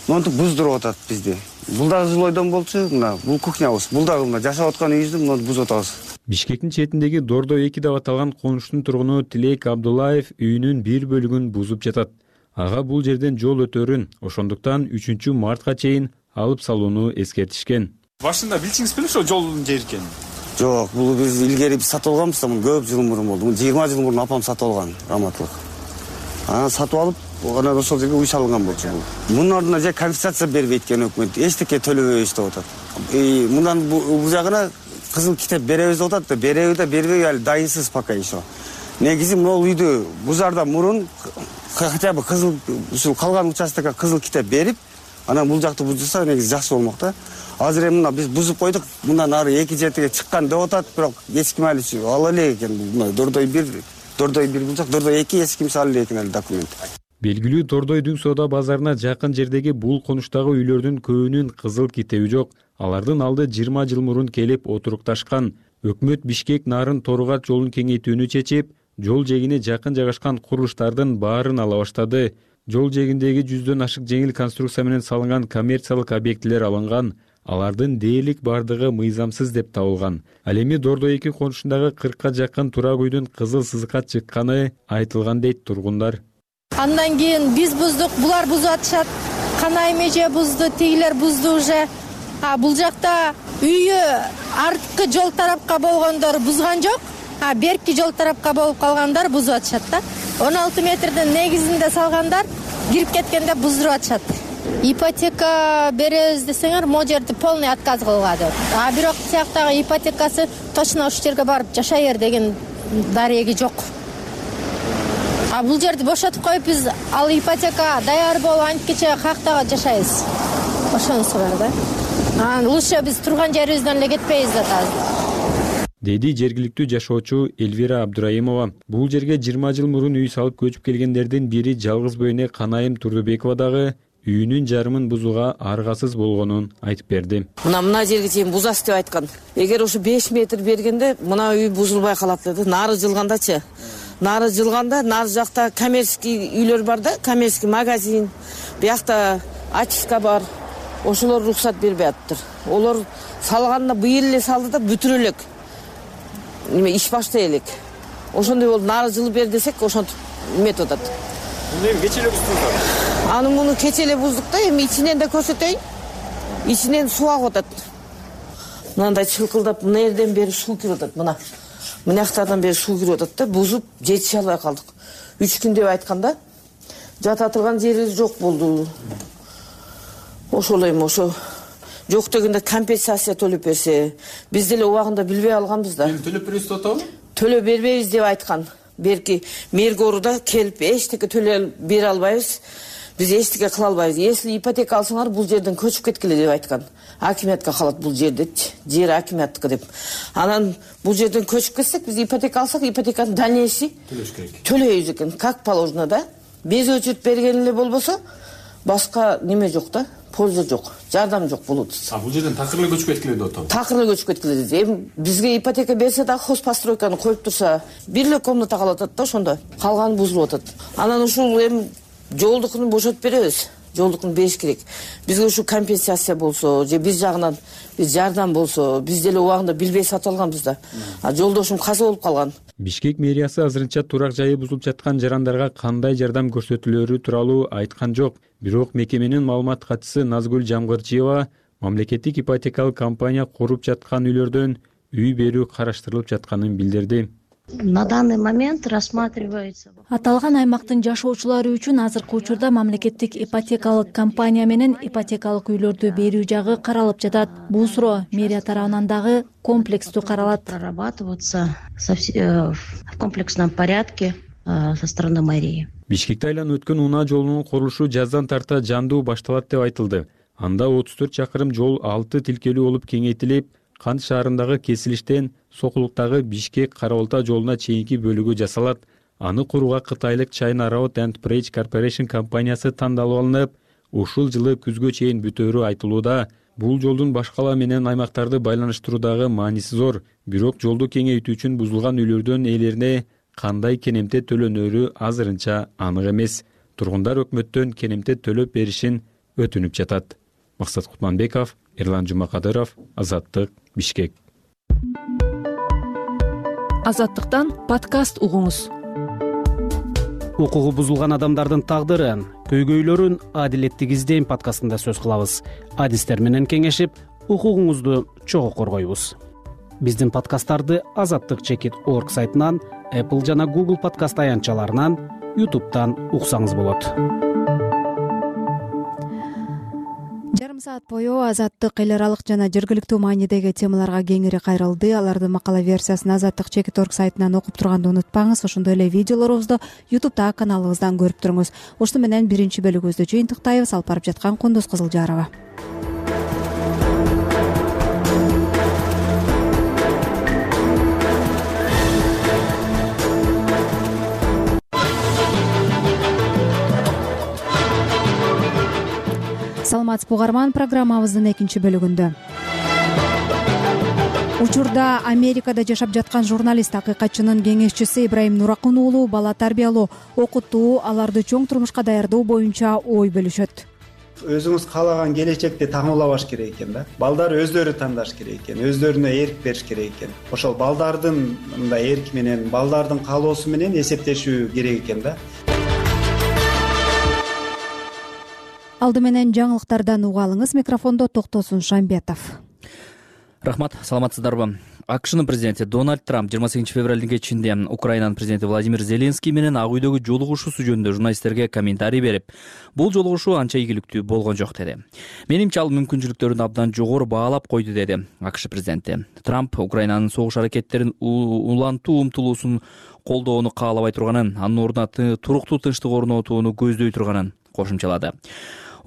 монтип буздуруп атат бизди. Бул дагы жилойдон болчу, мына бул кухнябыз. Бул дагы мына жашап аткан үйүбүздү мына бузуп атабыз. Бишкектин четиндеги Дордо эки деп аталган конуштун тургуну Тилек Абдуллаев үйүнүн бир бөлүгүн бузуп жатат. Ага бул жерден жол өтөрүн, ошондуктан үчүнчү мартка чейин алып салууну эскертишкен. Башында билчиңиз беле ошол жолдун жери экенин? Жок, бул биз илгери сатып алганбыз да, муну көп жыл мурун болду. Муну жыйырма жыл мурун апам сатып алган, раматтылык. Анан сатып алып, анан ошол жерге үй салынган болчу. Мунун ордуна же компенсация бербейт экен өкмөт. Эчтеке төлөбөйбүз деп атат. Мындан бул жагына кызыл китеп беребиз деп атат да, береби да бербей али дайынсыз пока еще. Негизи могул үйдү бузардан мурун хотя бы кызыл ушул калган участокко кызыл китеп берип, анан бул жакты бузса негизи жакшы болмок да. Азыр эми мына биз бузуп койдук, мындан ары эки жетиге чыккан деп атат, бирок эч ким али ала элек экен. Мына Дордой бир, Дордой бир булчак, Дордой эки эч ким ала элек экен али документ. Белгилүү Дордойдун соода базарына жакын жердеги бул конуштагы үйлөрдүн көбүнүн кызыл китеби жок. Алардын алды жыйырма жыл мурун келип отурукташкан. Өкмөт Бишкек Нарын Торгат жолун кеңейтүүнү чечип, жол жээгине жакын жайгашкан курулуштардын баарын ала баштады. Жол жээгиндеги жүздөн ашык жеңил конструкция менен салынган коммерциялык объектилер алынган. Алардын дээрлик бардыгы мыйзамсыз деп табылган. Ал эми Дордой эки конушундагы кыркка жакын турак үйдүн кызыл сызыкка чыкканы айтылган дейт тургундар. Андан кийин биз буздук, булар бузуп атышат. Канай меже бузду, тигилер бузду уже. А бул жакта үйү арткы жол тарапка болгондор бузган жок. А берки жол тарапка болуп калгандар бузуп атышат да. он алты метрдин негизинде салгандар кирип кеткенде буздуруп атышат. Ипотека беребиз десеңер, могу жерди полный отказ кылган деп. А бирок сияктагы ипотекасы точно ушул жерге барып жашай бер деген дареги жок. А бул жерди бошотуп коюп биз ал ипотека даяр болуп анткече каяктагы жашайбыз. Ошонусу бар да. Анан лучше биз турган жерибизден эле кетпейбиз да азыр. Деди жергиликтүү жашоочу Эльвира Абдураимова. Бул жерге жыйырма жыл мурун үй салып көчүп келгендердин бири жалгыз бөөне Канайым Турдубекова дагы үйүнүн жарымын бузууга аргасыз болгонун айтып берди. Мына мына жерге чейин бузас деп айткан. Эгер ушу беш метр бергенде мына үй бузулбай калат деди. Нары жылгандачы. Нары жылганда нары жакта коммерческий үйлөр бар да, коммерческий магазин. Биякта ачиска бар. Ошолор уруксат бербей атыптыр. Олор салганда быйыл эле салды да бүтүрө элек. Неме иш баштай элек. Ошондой болуп нары жылып бер десек, ошентип эметип атат. Муну кече эле буздуңуздар? Аны муну кече эле буздук да, эми ичинен да көрсөтөйүн. Ичинен суу агып атат. Мынандай чылкылдап, мына жерден бери суу кирип атат, мына. Мына жактардан бери суу кирип атат да, бузуп жетише албай калдык. үч күн деп айтканда, жата турган жерибиз жок болду. Ошол эми ошо жок дегенде компенсация төлөп берсе, биз деле убагында билбей алганбыз да. Төлөп беребиз деп атабы? Төлөп бербейбиз деп айткан. Берки мэргоруда келип эчтеке төлөп бере албайбыз. Биз эчтеке кыла албайбыз. Если ипотека алсаңар, бул жерден көчүп кеткиле деп айткан. Акимиятка калат бул жер депчи. Жер акимияттыкы деп. Анан бул жерден көчүп кетсек, биз ипотека алсак, ипотеканын дальнейший төлөш керек. Төлөйбүз экен, как положено да. Без очередь берген эле болбосо, башка неме жок да. Польза жок, жардам жок болот. А бул жерден такыр эле көчүп кеткиле деп атабы? Такыр эле көчүп кеткиле деди. Эми бизге ипотека берсе да хозпостройканы коюп турса, бир эле комната калып атат да ошондо. Калганы бузулуп атат. Анан ушул эми жолдукун бошотуп беребиз. Жолдукун бериш керек. Бизге ушу компенсация болсо, же биз жагынан биз жардам болсо, биз деле убагында билбей сатып алганбыз да. А жолдошум каза болуп калган. Бишкек мэриясы азырынча турак жайы бузулуп жаткан жарандарга кандай жардам көрсөтүлөрү тууралуу айткан жок. Бирок мекеменин маалымат катчысы Назгүл Жамгырчиева мамлекеттик ипотекалык компания куруп жаткан үйлөрдөн үй берүү караштырылып жатканын билдирди. На данный момент рассматривается. Аталган аймактын жашоочулары үчүн азыркы учурда мамлекеттик ипотекалык компания менен ипотекалык үйлөрдү берүү жагы каралып жатат. Бул суроо мэрия тарабынан дагы комплекстүү каралат. Прорабатываться в комплексном порядке со стороны мэрии. Бишкекте айланып өткөн унаа жолунун курулушу жаздан тарта жандуу башталат деп айтылды. Анда отуз төрт чакырым жол алты тилкелүү болуп кеңейтилип, Кант шаарындагы кесилиштен Сокулуктагы Бишкек Карабалта жолуна чейинки бөлүгү жасалат. Аны курууга кытайлык China Road and Bridge Corporation компаниясы тандалып алынып, ушул жылы күзгө чейин бүтөөрү айтылууда. Бул жолдун башкала менен аймактарды байланыштыруудагы мааниси зор. Бирок жолду кеңейтүү үчүн бузулган үйлөрдүн ээлерине кандай кенемте төлөнөрү азырынча анык эмес. Тургундар өкмөттөн кенемте төлөп беришин өтүнүп жатат. Максат Кутманбеков, Эрлан Жумакадыров, Азаттык, Бишкек. Азаттыктан подкаст угуңуз. Укугу бузулган адамдардын тагдыры, көйгөйлөрүн адилеттик издейм подкастында сөз кылабыз. Адистер менен кеңешип, укугуңузду чогуу коргойбуз. Биздин подкасттарды азаттык чекит орг сайтынан, Apple жана Google подкаст аянтчаларынан, YouTube'дан уксаңыз болот. Жарым саат бою азаттык эл аралык жана жергиликтүү маанидеги темаларга кеңири кайрылды. Алардын макала версиясын азаттык чекит орг сайтынан окуп турганды унутпаңыз. Ошондой эле видеолорубузду YouTube'да каналыбыздан көрүп туруңуз. Ошону менен биринчи бөлүгүбүздү жыйынтыктайбыз. Алып барып жаткан Кундуз Кызылжарова. Саламатсызбы угарман, программабыздын экинчи бөлүгүндө. Учурда Америкада жашап жаткан журналист, акыйкатчынын кеңешчиси Ибраим Нуракун уулу бала тарбиялоо, окутуу, аларды чоң турмушка даярдоо боюнча ой бөлүшөт. Өзүңүз каалаган келечекти таңуулабаш керек экен да. Балдар өздөрү тандаш керек экен, өздөрүнө эрк бериш керек экен. Ошол балдардын мындай эрки менен, балдардын каалоосу менен эсептешүү керек экен да. Алды менен жаңылыктардан угалыңыз. Микрофондо Токтосун Шамбетов. Рахмат, саламатсыздарбы? АКШнын президенти Дональд Трамп жыйырма сегизинчи февралдын кечинде Украинанын президенти Владимир Зеленский менен Ак үйдөгү жолугушуусу жөнүндө журналисттерге комментарий берип, бул жолугушуу анча ийгиликтүү болгон жок деди. Менимче ал мүмкүнчүлүктөрүн абдан жогору баалап койду деди АКШ президенти. Трамп Украинанын согуш аракеттерин улантуу умтулуусун колдоону каалабай турганын, анын ордуна туруктуу тынчтык орнотууну көздөй турганын кошумчалады.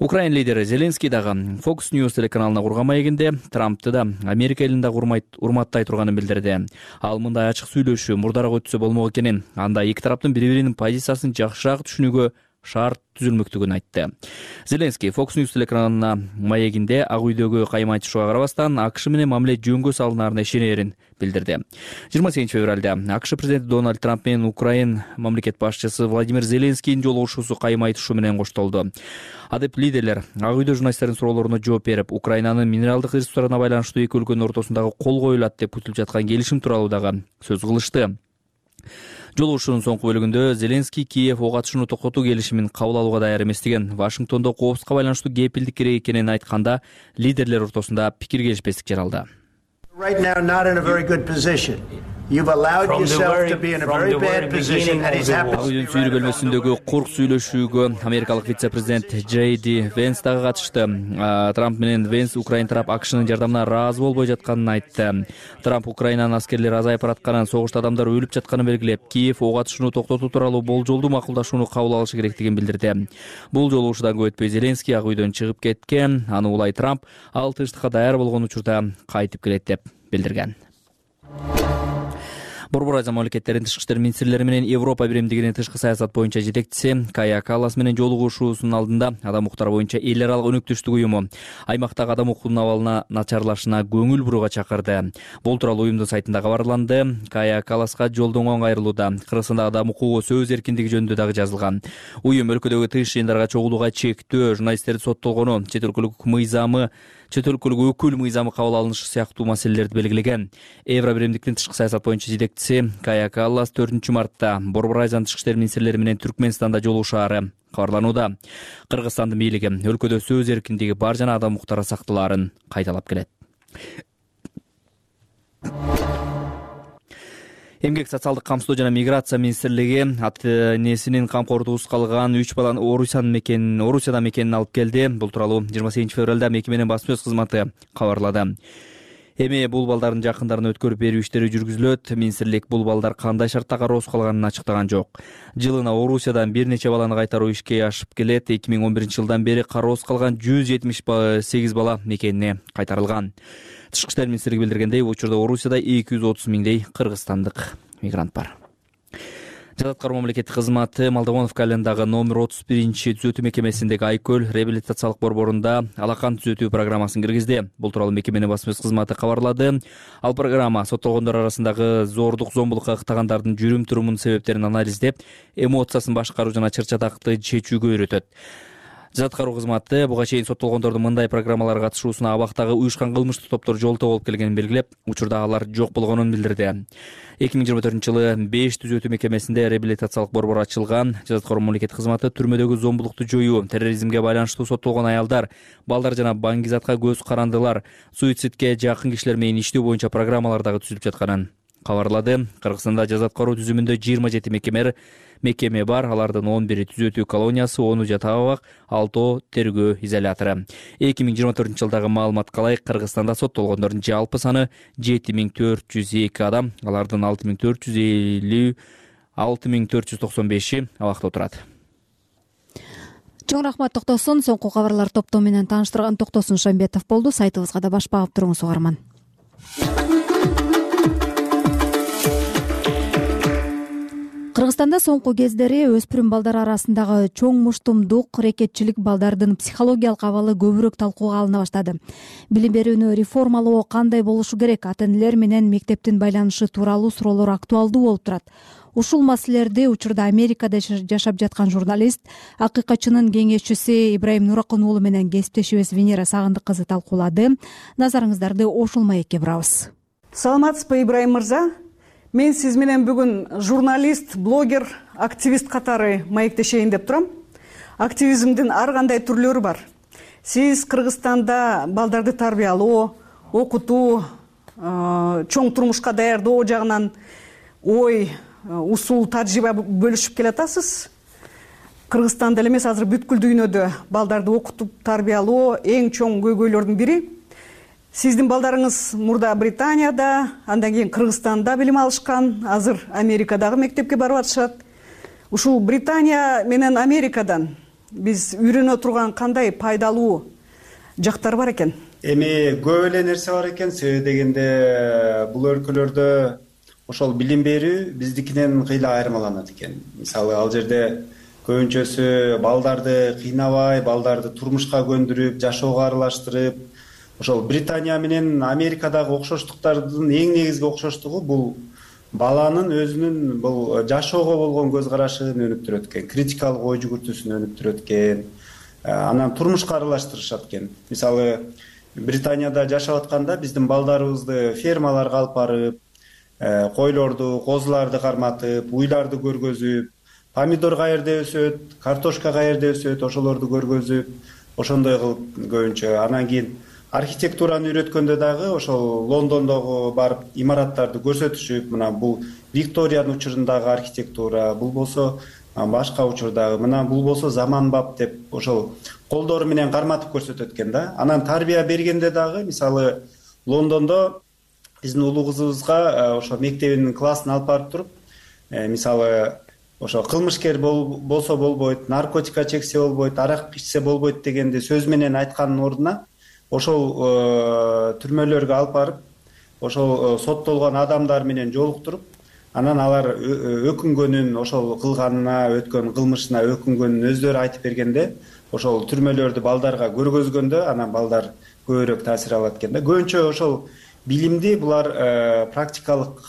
Украин лидери Зеленский дагы Fox News телеканалына курган маегинде Трампты да Америка элин дагы урматтай турганын билдирди. Ал мындай ачык сүйлөшүү мурдараак өтсө болмок экенин, анда эки тараптын бири-биринин позициясын жакшыраак түшүнүүгө шарт түзүлмөктүгүн айтты. Зеленский Fox News телеканалына маегинде Ак үйдөгү кайма айтышууга карабастан АКШ менен мамиле жөнгө салынаарына ишенерин билдирди. жыйырма сегизинчи февралда АКШ президенти Дональд Трамп менен Украин мамлекет башчысы Владимир Зеленскийдин жолугушуусу кайма айтышуу менен коштолду. Адеп лидерлер Ак үйдө журналисттердин суроолоруна жооп берип, Украинанын минералдык ресурстарына байланыштуу эки өлкөнүн ортосундагы кол коюлат деп күтүлүп жаткан келишим тууралуу дагы сөз кылышты. Жолугушуунун соңку бөлүгүндө Зеленский Киев ок атышууну токтотуу келишимин кабыл алууга даяр эместигин, Вашингтондо коопсузлукка байланыштуу кепилдик керек экенин айтканда, лидерлер ортосунда пикир келишпестик жаралды. Right now, not in a very good position. You've allowed yourself to be in a very bad position, and he's happy. Үйдүн сүйрүү бөлмөсүндөгү курк сүйлөшүүгө америкалык вице-президент Джей Ди Венс дагы катышты. Трамп менен Венс Украин тарап АКШнын жардамына ыраазы болбой жатканын айтты. Трамп Украинанын аскерлери азайып баратканын, согушта адамдар өлүп жатканын белгилеп, Киев ок атышууну токтотуу тууралуу болжолдуу макулдашууну кабыл алышы керектигин билдирди. Бул жолугушуудан көп өтпөй Зеленский Ак үйдөн чыгып кеткен. Аны улай Трамп ал тынчтыкка даяр болгон учурда кайтып келет деп билдирген. Борбор Азия мамлекеттеринин тышкы иштер министрлери менен Европа биримдигинин тышкы саясат боюнча жетекчиси Кая Каллас менен жолугушуусунун алдында адам укуктары боюнча эл аралык өнөктөштүк уюму аймактагы адам укугунун абалына начарлашына көңүл бурууга чакырды. Бул тууралуу уюмдун сайтында кабарланды. Кая Калласка жолдон оң айрылууда Кыргызстандагы адам укугу сөз эркиндиги жөнүндө дагы жазылган. Уюм өлкөдөгү тыш жыйындарга чогулууга чектөө, журналисттерди соттолгону, чет өлкөлүк мыйзамы чет өлкөлүк өкүл мыйзамы кабыл алынышы сыяктуу маселелерди белгилеген. Евро биримдиктин тышкы саясат боюнча жетекчиси Кая Каллас төртүнчү мартта Борбор Азиянын тышкы иштер министрлери менен Түркмөнстанда жолугушаары кабарланууда. Кыргызстандын бийлиги өлкөдө сөз эркиндиги бар жана адам укуктары сакталаарын кайталап келет. Эмгек социалдык камсыздоо жана миграция министрлиги ата энесинин камкордугусуз калган үч баланы Орусиянын мекенин, Орусияда мекенин алып келди. Бул тууралуу жыйырма сегизинчи февралда мекеменин басма сөз кызматы кабарлады. Эми бул балдардын жакындарын өткөрүп берүү иштери жүргүзүлөт. Министрлик бул балдар кандай шартта кароосуз калганын ачыктаган жок. Жылына Орусиядан бир нече баланы кайтаруу ишке ашып келет. эки миң он биринчи жылдан бери кароосуз калган жүз жетимиш сегиз бала мекенине кайтарылган. Тышкы иштер министрлиги билдиргендей, учурда Орусияда эки жүз отуз миңдей кыргызстандык мигрант бар. Жада аткаруу мамлекеттик кызматы Молдовоновка айылындагы номер отуз биринчи түзөтүү мекемесиндеги Айкөл реабилитациялык борборунда алакан түзөтүү программасын киргизди. Бул тууралуу мекеменин басма сөз кызматы кабарлады. Ал программа соттолгондор арасындагы зордук, зомбулукка ыктагандардын жүрүм-турумунун себептерин анализдеп, эмоциясын башкаруу жана чыр-чатакты чечүүгө үйрөтөт. Жаза аткаруу кызматы буга чейин соттолгондордун мындай программаларга катышуусуна абактагы уюшкан кылмыштык топтор жолтоо болуп келгенин белгилеп, учурда алар жок болгонун билдирди. эки миң жыйырма төртүнчү жылы беш түзөтүү мекемесинде реабилитациялык борбор ачылган. Жаза аткаруу мамлекеттик кызматы түрмөдөгү зомбулукту жоюу, терроризмге байланыштуу соттолгон аялдар, балдар жана баңгизатка көз карандылар, суицидке жакын кишилер менен иштөө боюнча программалар дагы түзүлүп жатканын кабарлады. Кыргызстанда жаза аткаруу түзүмүндө жыйырма жети мекеме мекеме бар. Алардын он бири түзөтүү колониясы, ону жатак абак, алтоо тергөө изолятору. эки миң жыйырма төртүнчү жылдагы маалыматка ылайык Кыргызстанда соттолгондордун жалпы саны жети миң төрт жүз эки адам. Алардын алты миң төрт жүз элүү алты миң төрт жүз токсон беши абакта отурат. Чоң рахмат Токтосун. Соңку кабарлар топтому менен тааныштырган Токтосун Шамбетов болду. Сайтыбызга да баш багып туруңуз угарман. Кыргызстанда соңку кездери өспүрүм балдар арасындагы чоң муштумдук, рекетчилик, балдардын психологиялык абалы көбүрөөк талкууга алына баштады. Билим берүүнү реформалоо кандай болушу керек? Ата-энелер менен мектептин байланышы тууралуу суроолор актуалдуу болуп турат. Ушул маселелерди учурда Америкада жашап жаткан журналист, акыйкатчынын кеңешчиси Ибрайым Нуракын уулу менен кесиптешибиз Венера Сагындык кызы талкуулады. Назарыңыздарды ошол маекке бурабыз. Саламатсызбы, Ибрайым мырза? Мен сиз менен бүгүн журналист, блогер, активист катары маектешейин деп турам. Активизмдин ар кандай түрлөрү бар. Сиз Кыргызстанда балдарды тарбиялоо, окутуу, чоң турмушка даярдоо жагынан ой, усул, тажрыйба бөлүшүп келатасыз. Кыргызстанда эле эмес, азыр бүткүл дүйнөдө балдарды окутуп тарбиялоо эң чоң көйгөйлөрдүн бири. Сиздин балдарыңыз мурда Британияда, андан кийин Кыргызстанда билим алышкан, азыр Америкадагы мектепке барып атышат. Ушул Британия менен Америкадан биз үйрөнө турган кандай пайдалуу жактар бар экен? Эми көп эле нерсе бар экен. Себеби дегенде бул өлкөлөрдө ошол билим берүү биздикинен кыйла айырмаланат экен. Мисалы, ал жерде көбүнчөсү балдарды кыйнабай, балдарды турмушка көндүрүп, жашоого аралаштырып, ошол Британия менен Америкадагы окшоштуктардын эң негизги окшоштугу бул баланын өзүнүн бул жашоого болгон көз карашын өнүктүрөт экен, критикалык ой жүгүртүүсүн өнүктүрөт экен, анан турмушка аралаштырышат экен. Мисалы, Британияда жашап атканда биздин балдарыбызды фермаларга алып барып, койлорду, козуларды карматып, уйларды көргөзүп, помидор каерде өсөт, картошка каерде өсөт, ошолорду көргөзүп, ошондой кылып көбүнчө. Анан кийин архитектураны үйрөткөндө дагы ошол Лондондогу барып имараттарды көрсөтүшүп, мына бул Викториянын учурундагы архитектура, бул болсо башка учурдагы, мына бул болсо заманбап деп ошол колдору менен карматып көрсөтөт экен да. Анан тарбия бергенде дагы, мисалы, Лондондо биздин улуу кызыбызга ошо мектебинин классын алып барып туруп, мисалы, ошо кылмышкер болсо болбойт, наркотикка чексе болбойт, арак ичсе болбойт дегенди сөз менен айткандын ордуна ошол түрмөлөргө алып барып, ошол соттолгон адамдар менен жолуктуруп, анан алар өкүнгөнүн, ошол кылганына, өткөн кылмышына өкүнгөнүн өздөрү айтып бергенде, ошол түрмөлөрдү балдарга көргөзгөндө, анан балдар көбүрөөк таасир алат экен да. Көбүнчө ошол билимди булар практикалык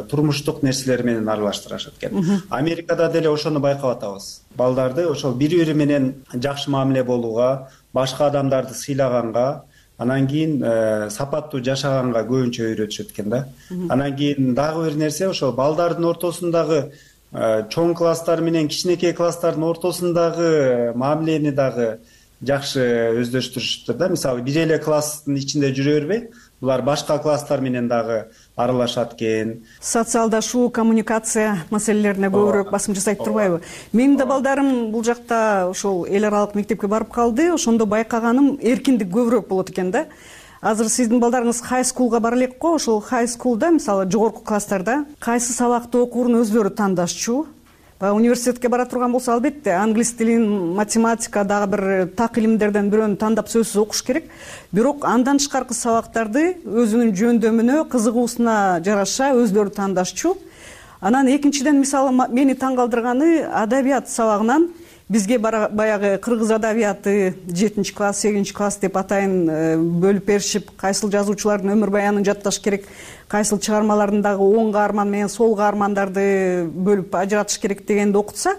турмуштук нерселер менен аралаштырышат экен. Америкада деле ошону байкап атабыз. Балдарды ошол бири-бири менен жакшы мамиле болууга, башка адамдарды сыйлаганга, анан кийин сапаттуу жашаганга көбүнчө үйрөтүшөт экен да. Анан кийин дагы бир нерсе, ошол балдардын ортосундагы чоң класстар менен кичинекей класстардын ортосундагы мамилени дагы жакшы өздөштүрүшүптүр да. Мисалы, бир эле класстын ичинде жүрө бербей, булар башка класстар менен дагы аралашат экен. Социалдашуу, коммуникация маселелерине көбүрөөк басым жасайт турбайбы? Менин да балдарым бул жакта ошол эл аралык мектепке барып калды. Ошондо байкаганым эркиндик көбүрөөк болот экен да. Азыр сиздин балдарыңыз хай скулга бара элек го. Ошол хай скулда, мисалы, жогорку класстарда кайсы сабакты окуурун өздөрү тандашчу. Университетке бара турган болсо, албетте, англис тилин, математика, дагы бир так илимдерден бирөөнү тандап сөзсүз окуш керек. Бирок андан тышкаркы сабактарды өзүнүн жөндөмүнө, кызыгуусуна жараша өздөрү тандашчу. Анан экинчиден, мисалы, мени таң калтырганы, адабият сабагынан бизге баягы кыргыз адабияты жетинчи класс сегизинчи класс деп атайын бөлүп беришип, кайсыл жазуучулардын өмүр баянын жатташ керек, кайсыл чыгармаларындагы оң каарман менен сол каармандарды бөлүп ажыратыш керек дегенди окутса,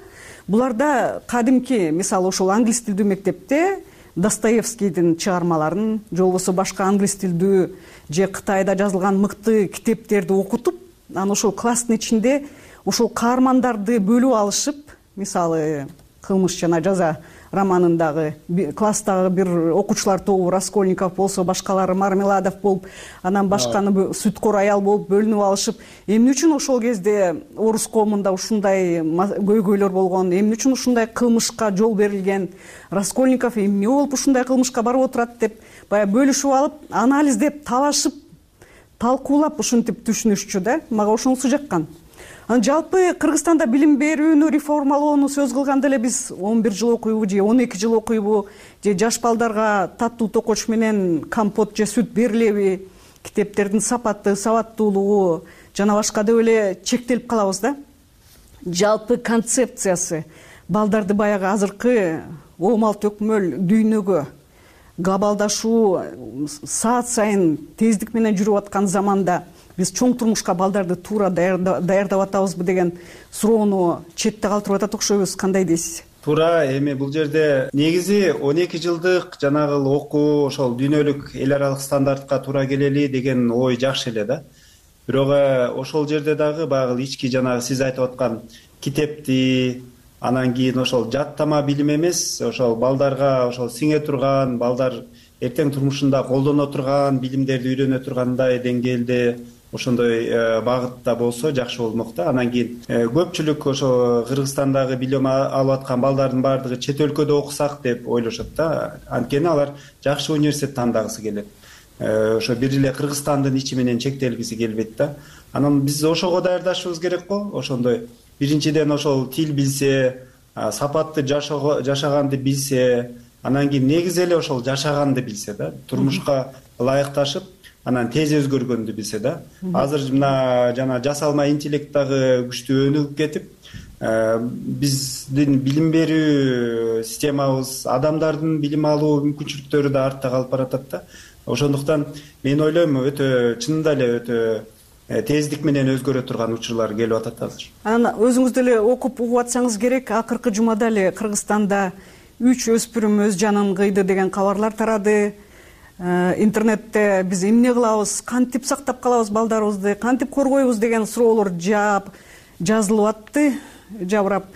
буларда кадимки, мисалы ошол англис тилдүү мектепте Достоевскийдин чыгармаларын же болбосо башка англис тилдүү же Кытайда жазылган мыкты китептерди окутуп, анан ошол класстын ичинде ошол каармандарды бөлүп алышып, мисалы кылмыш жана жаза романындагы класстагы бир окуучулар тобу Раскольников болсо, башкалары Мармеладов болуп, анан башканы Сүткор аял болуп бөлүнүп алышып, эмне үчүн ошол кезде орус коомунда ушундай көйгөйлөр болгон, эмне үчүн ушундай кылмышка жол берилген, Раскольников эмне болуп ушундай кылмышка барып отурат деп баягы бөлүшүп алып, анализдеп, талашып, талкуулап ушинтип түшүнүшчү да. Мага ошонусу жаккан. Анан жалпы Кыргызстанда билим берүүнү реформалоону сөз кылганда эле биз он бир жыл окуйбу же он эки жыл окуйбу, же жаш балдарга таттуу токоч менен компот же сүт берилеби, китептердин сапаты, сабаттуулугу жана башка деп эле чектелип калабыз да. Жалпы концепциясы балдарды баягы азыркы оомал төкмөл дүйнөгө, глобалдашуу саат сайын тездик менен жүрүп аткан заманда биз чоң турмушка балдарды туура даярдап атабызбы деген суроону четте калтырып атат окшойбуз. Кандай дейсиз? Туура. Эми бул жерде негизи он эки жылдык жанагы окуу ошол дүйнөлүк эл аралык стандартка туура келели деген ой жакшы эле да. Бирок ошол жерде дагы баягы ички жанагы сиз айтып аткан китепти, анан кийин ошол жаттама билим эмес, ошол балдарга ошол сиңе турган, балдар эртең турмушунда колдоно турган билимдерди үйрөнө тургандай деңгээлде ошондой багытта болсо жакшы болмок да. Анан кийин көпчүлүк ошо Кыргызстандагы билим алып аткан балдардын баардыгы чет өлкөдө окусак деп ойлошот да. Анткени алар жакшы университет тандагысы келет. Ошо бир эле Кыргызстандын ичи менен чектелгиси келбейт да. Анан биз ошого даярдашыбыз керек го. Ошондой биринчиден ошол тил билсе, сапатты жашаганды билсе, анан кийин негизи эле ошол жашаганды билсе да, турмушка ылайыкташып, анан тез өзгөргөндү билсе да. Азыр мына жана жасалма интеллект дагы күчтүү өнүгүп кетип, биздин билим берүү системабыз, адамдардын билим алуу мүмкүнчүлүктөрү да артта калып баратат да. Ошондуктан мен ойлойм, өтө чынында эле өтө тездик менен өзгөрө турган учурлар келип атат азыр. Анан өзүңүз деле окуп угуп атсаңыз керек, акыркы жумада эле Кыргызстанда үч өспүрүм өз жанын кыйды деген кабарлар тарады. Интернетте биз эмне кылабыз, кантип сактап калабыз балдарыбызды, кантип коргойбуз деген суроолор жаап жазылып атты, жабырап.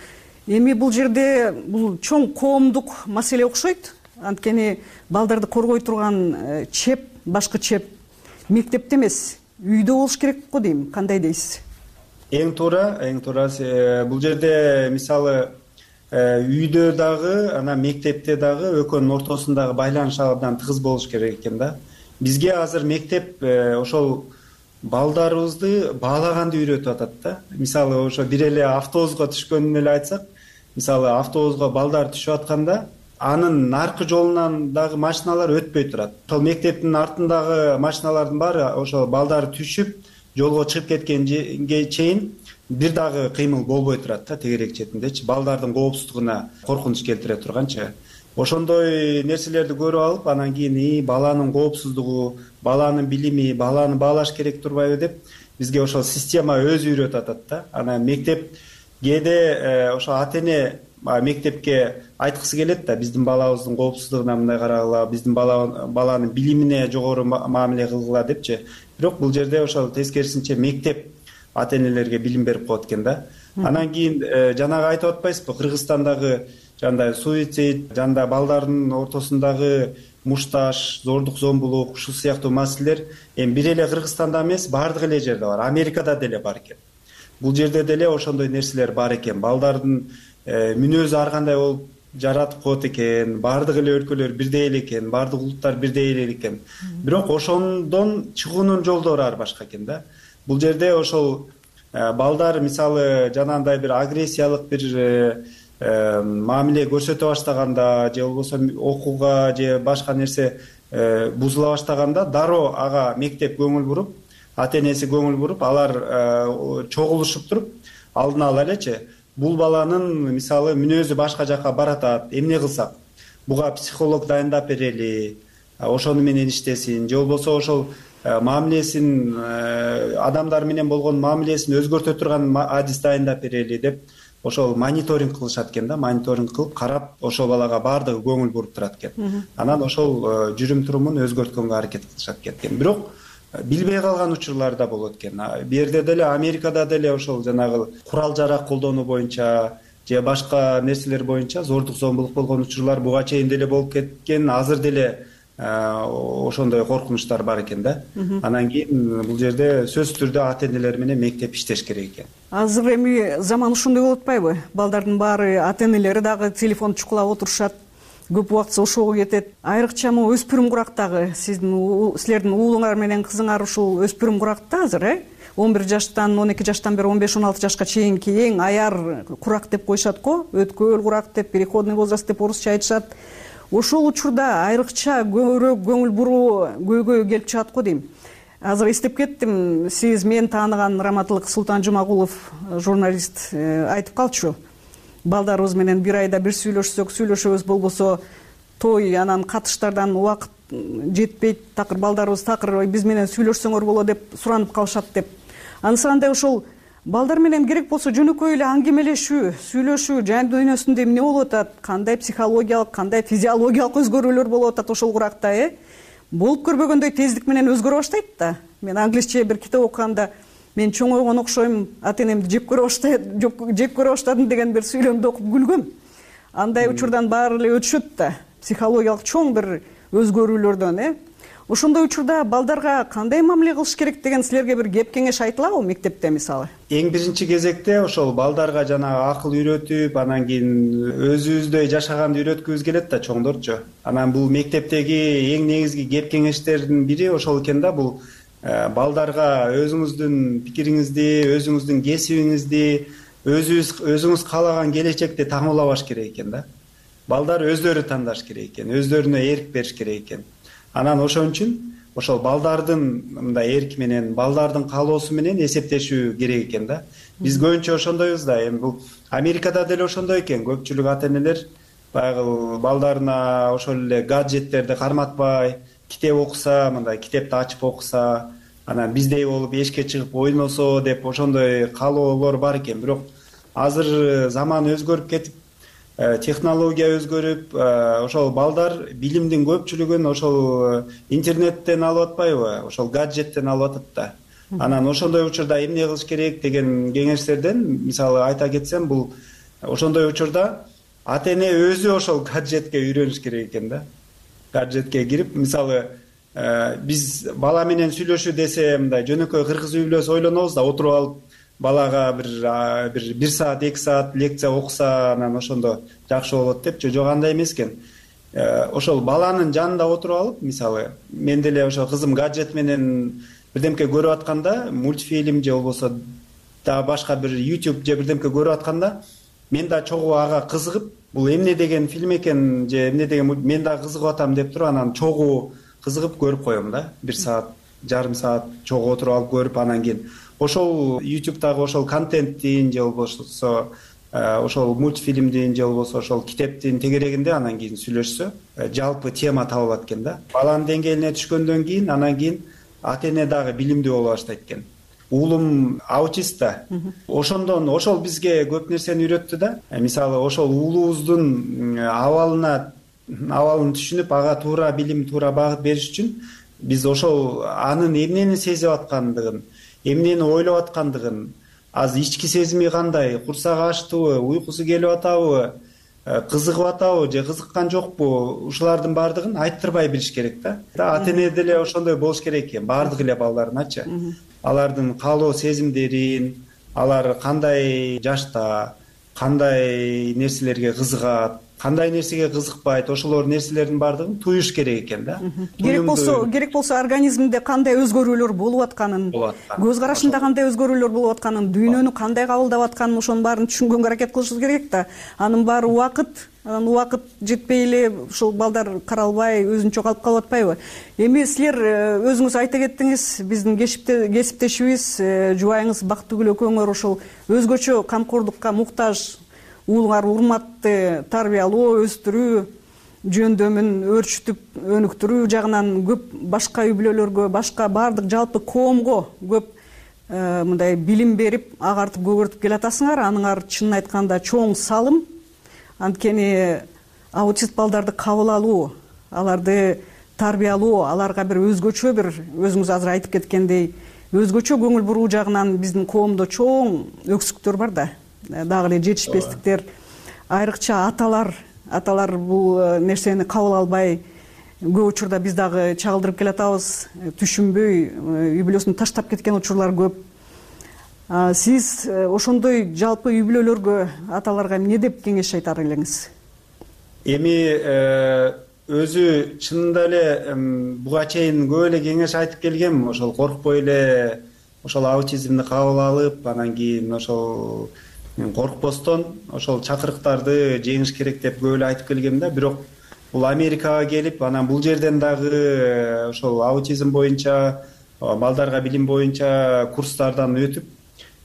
Эми бул жерде бул чоң коомдук маселе окшойт. Анткени балдарды коргой турган чеп, башкы чеп мектепте эмес, үйдө болуш керек го дейм. Кандай дейсиз? Эң туура, эң туура. Бул жерде мисалы үйдө дагы, анан мектепте дагы экөөнүн ортосундагы байланыш абдан тыгыз болуш керек экен да. Бизге азыр мектеп ошол балдарыбызды баалаганды үйрөтүп атат да. Мисалы ошо бир эле автобуска түшкөнүн эле айтсак, мисалы автобуска балдар түшүп атканда, анын наркы жолунан дагы машиналар өтпөй турат. Ошол мектептин артындагы машиналардын баары ошол балдар түшүп, жолго чыгып кеткенге чейин бир дагы кыймыл болбой турат да, тегерек четиндечи. Балдардын коопсуздугуна коркунуч келтире турганчы. Ошондой нерселерди көрүп алып, анан кийин баланын коопсуздугу, баланын билими, баланы баалаш керек турбайбы деп бизге ошол система өзү үйрөтүп атат да. Анан мектеп кээде ошо ата-эне мектепке айткысы келет да, биздин балабыздын коопсуздугуна мындай карагыла, биздин баланын билимине жогору мамиле кылгыла депчи. Бирок бул жерде ошол тескерисинче мектеп ата-энелерге билим берип коет экен да. Анан кийин жанагы айтып атпайсызбы, Кыргызстандагы жандай суицид, жанда балдардын ортосундагы мушташ, зордук зомбулук, ушул сыяктуу маселелер эми бир эле Кыргызстанда эмес, баардык эле жерде бар. Америкада деле бар экен. Бул жерде деле ошондой нерселер бар экен. Балдардын мүнөзү ар кандай болуп жаратып коет экен, баардык эле өлкөлөр бирдей эле экен, баардык улуттар бирдей эле экен. Бирок ошондон чыгуунун жолдору ар башка экен да. Бул жерде ошол балдар мисалы жанагындай бир агрессиялык бир мамиле көрсөтө баштаганда, же болбосо окууга же башка нерсе бузула баштаганда, дароо ага мектеп көңүл буруп, ата-энеси көңүл буруп, алар чогулушуп туруп, алдын ала элечи бул баланын мисалы мүнөзү башка жака баратат, эмне кылсак, буга психолог дайындап берели, ошону менен иштесин, же болбосо ошол мамилесин, адамдар менен болгон мамилесин өзгөртө турган адис дайындап берели деп ошол мониторинг кылышат экен да, мониторинг кылып карап ошол балага баардыгы көңүл буруп турат экен. Анан ошол жүрүм турумун өзгөрткөнгө аракет кылышат экен. Бирок билбей калган учурлар да болот экен. Бу жерде деле Америкада деле ошол жанагы курал жарак колдонуу боюнча же башка нерселер боюнча зордук зомбулук болгон учурлар буга чейин деле болуп кеткен. Азыр деле ошондой коркунучтар бар экен да. Анан кийин бул жерде сөзсүз түрдө ата энелер менен мектеп иштеш керек экен. Азыр эми заман ушундай болуп атпайбы? Балдардын баары ата энелери дагы телефон чукулап отурушат, көп убактысы ошого кетет. Айрыкча могу өспүрүм курактагы сиздин силердин уулуңар менен кызыңар ушул өспүрүм куракта азыр, э? он бир жаштан он эки жаштан бери он беш он алты жашка чейинки эң аяр курак деп коюшат го, өткөөл курак деп, переходный возраст деп орусча айтышат. Ошол учурда айрыкча көбүрөөк көңүл буруу көйгөй келип чыгат го дейм. Азыр эстеп кеттим, сиз мен тааныган Раматылык Султан Жумагулов журналист айтып калчу. Балдарыбыз менен бир айда бир сүйлөшсөк, сүйлөшөбүз, болбосо той анан катыштардан убакыт жетпейт, такыр балдарыбыз такыр биз менен сүйлөшсөңөр болот деп суранып калышат деп. Анысы андай ошол балдар менен керек болсо жөнөкөй эле аңгемелешүү, сүйлөшүү, жан дүйнөсүндө эмне болуп атат, кандай психологиялык, кандай физиологиялык өзгөрүүлөр болуп атат ошол куракта, э? Болуп көрбөгөндөй тездик менен өзгөрө баштайт да. Мен англисче бир китеп окуганда мен чоңойгон окшойм, ата энемди жеп көрө баштайт, жеп көрө баштадым деген бир сүйлөмдү окуп күлгөм. Андай учурдан баары эле өтүшөт да, психологиялык чоң бир өзгөрүүлөрдөн, э? Ошондой учурда балдарга кандай мамиле кылыш керек деген силерге бир кеп кеңеш айтылабы мектепте мисалы? Эң биринчи кезекте ошол балдарга жана акыл үйрөтүп, анан кийин өзүбүздөй жашаганды үйрөткүбүз келет да чоңдорчу. Анан бул мектептеги эң негизги кеп кеңештердин бири ошол экен да, бул балдарга өзүңүздүн пикириңизди, өзүңүздүн кесибиңизди, өзүңүз өзүңүз каалаган келечекти таңуулабаш керек экен да. Балдар өздөрү тандаш керек экен, өздөрүнө эрк бериш керек экен. Анан ошон үчүн ошол балдардын мындай эрки менен, балдардын каалоосу менен эсептешүү керек экен да. Биз көбүнчө ошондойбуз да. Эми бул Америкада деле ошондой экен. Көпчүлүк ата энелер баягы балдарына ошол эле гаджеттерди карматпай, китеп окуса, мындай китепти ачып окуса, анан биздей болуп эшикке чыгып ойносо деп ошондой каалоолор бар экен. Бирок азыр заман өзгөрүп кетип, технология өзгөрүп, ошол балдар билимдин көпчүлүгүн ошол интернеттен алып атпайбы, ошол гаджеттен алып атат да. Анан ошондой учурда эмне кылыш керек деген кеңештерден мисалы айта кетсем, бул ошондой учурда ата эне өзү ошол гаджетке үйрөнүш керек экен да. Гаджетке кирип, мисалы биз бала менен сүйлөшүү десе, мындай жөнөкөй кыргыз үй бүлөсү ойлонобуз да, отуруп алып балага бир бир бир саат, эки саат лекция окуса, анан ошондо жакшы болот депчи. Жок, андай эмес экен. Ошол баланын жанында отуруп алып, мисалы, мен деле ошо кызым гаджет менен бирдемке көрүп атканда, мультфильм же болбосо да башка бир YouTube же бирдемке көрүп атканда, мен да чогуу ага кызыгып, бул эмне деген фильм экен же эмне деген мен да кызыгып атам деп туруп, анан чогуу кызыгып көрүп коем да. Бир саат, жарым саат чогуу отуруп алып көрүп, анан кийин ошол YouTube'дагы ошол контенттин же болбосо ошол мультфильмдин же болбосо ошол китептин тегерегинде анан кийин сүйлөшсө, жалпы тема табылат экен да. Баланын деңгээлине түшкөндөн кийин анан кийин ата эне дагы билимдүү боло баштайт экен. Уулум аутист да. Ошондон ошол бизге көп нерсени үйрөттү да. Мисалы ошол уулубуздун абалына абалын түшүнүп, ага туура билим, туура багыт бериш үчүн биз ошол анын эмнени сезип аткандыгын, эмнени ойлоп аткандыгын, азыр ички сезими кандай, курсагы ачтыбы, уйкусу келип атабы, кызыгып атабы же кызыккан жокпу, ушулардын баардыгын айттырбай билиш керек да. Ата эне деле ошондой болуш керек экен, баардык эле балдарыначы. Алардын каалоо сезимдерин, алар кандай жашта, кандай нерселерге кызыгат, кандай нерсеге кызыкпайт, ошолор нерселердин баардыгын туюш керек экен да. керек болсо керек болсо организмде кандай өзгөрүүлөр болуп атканын, көз карашында кандай өзгөрүүлөр болуп атканын, дүйнөнү кандай кабылдап атканын, ошонун баарын түшүнгөнгө аракет кылышыбыз керек да. Анын баары убакыт, анан убакыт жетпей эле ушул балдар каралбай өзүнчө калып калып атпайбы? Эми силер өзүңүз айта кеттиңиз, биздин кесиптешибиз, жубайыңыз Бактыгүл экөөңөр ошол өзгөчө камкордукка муктаж уулуңар урматты тарбиялоо, өстүрүү, жөндөмүн өөрчүтүп өнүктүрүү жагынан көп башка үй бүлөлөргө, башка баардык жалпы коомго көп мындай билим берип, агартып көгөртүп келатасыңар. Аныңар чынын айтканда чоң салым. Анткени аутист балдарды кабыл алуу, аларды тарбиялоо, аларга бир өзгөчө бир, өзүңүз азыр айтып кеткендей, өзгөчө көңүл буруу жагынан биздин коомдо чоң өксүктөр бар да. Дагы эле жетишпестиктер, айрыкча аталар, аталар бул нерсени кабыл албай, көп учурда биз дагы чагылдырып келатабыз, түшүнбөй үй бүлөсүн таштап кеткен учурлар көп. Сиз ошондой жалпы үй бүлөлөргө, аталарга эмне деп кеңеш айтар элеңиз? Эми өзү чынында эле буга чейин көп эле кеңеш айтып келгем, ошол коркпой эле ошол аутизмди кабыл алып, анан кийин ошол коркпостон ошол чакырыктарды жеңиш керек деп көп эле айтып келгем да. Бирок бул Америкага келип, анан бул жерден дагы ошол аутизм боюнча, балдарга билим боюнча курстардан өтүп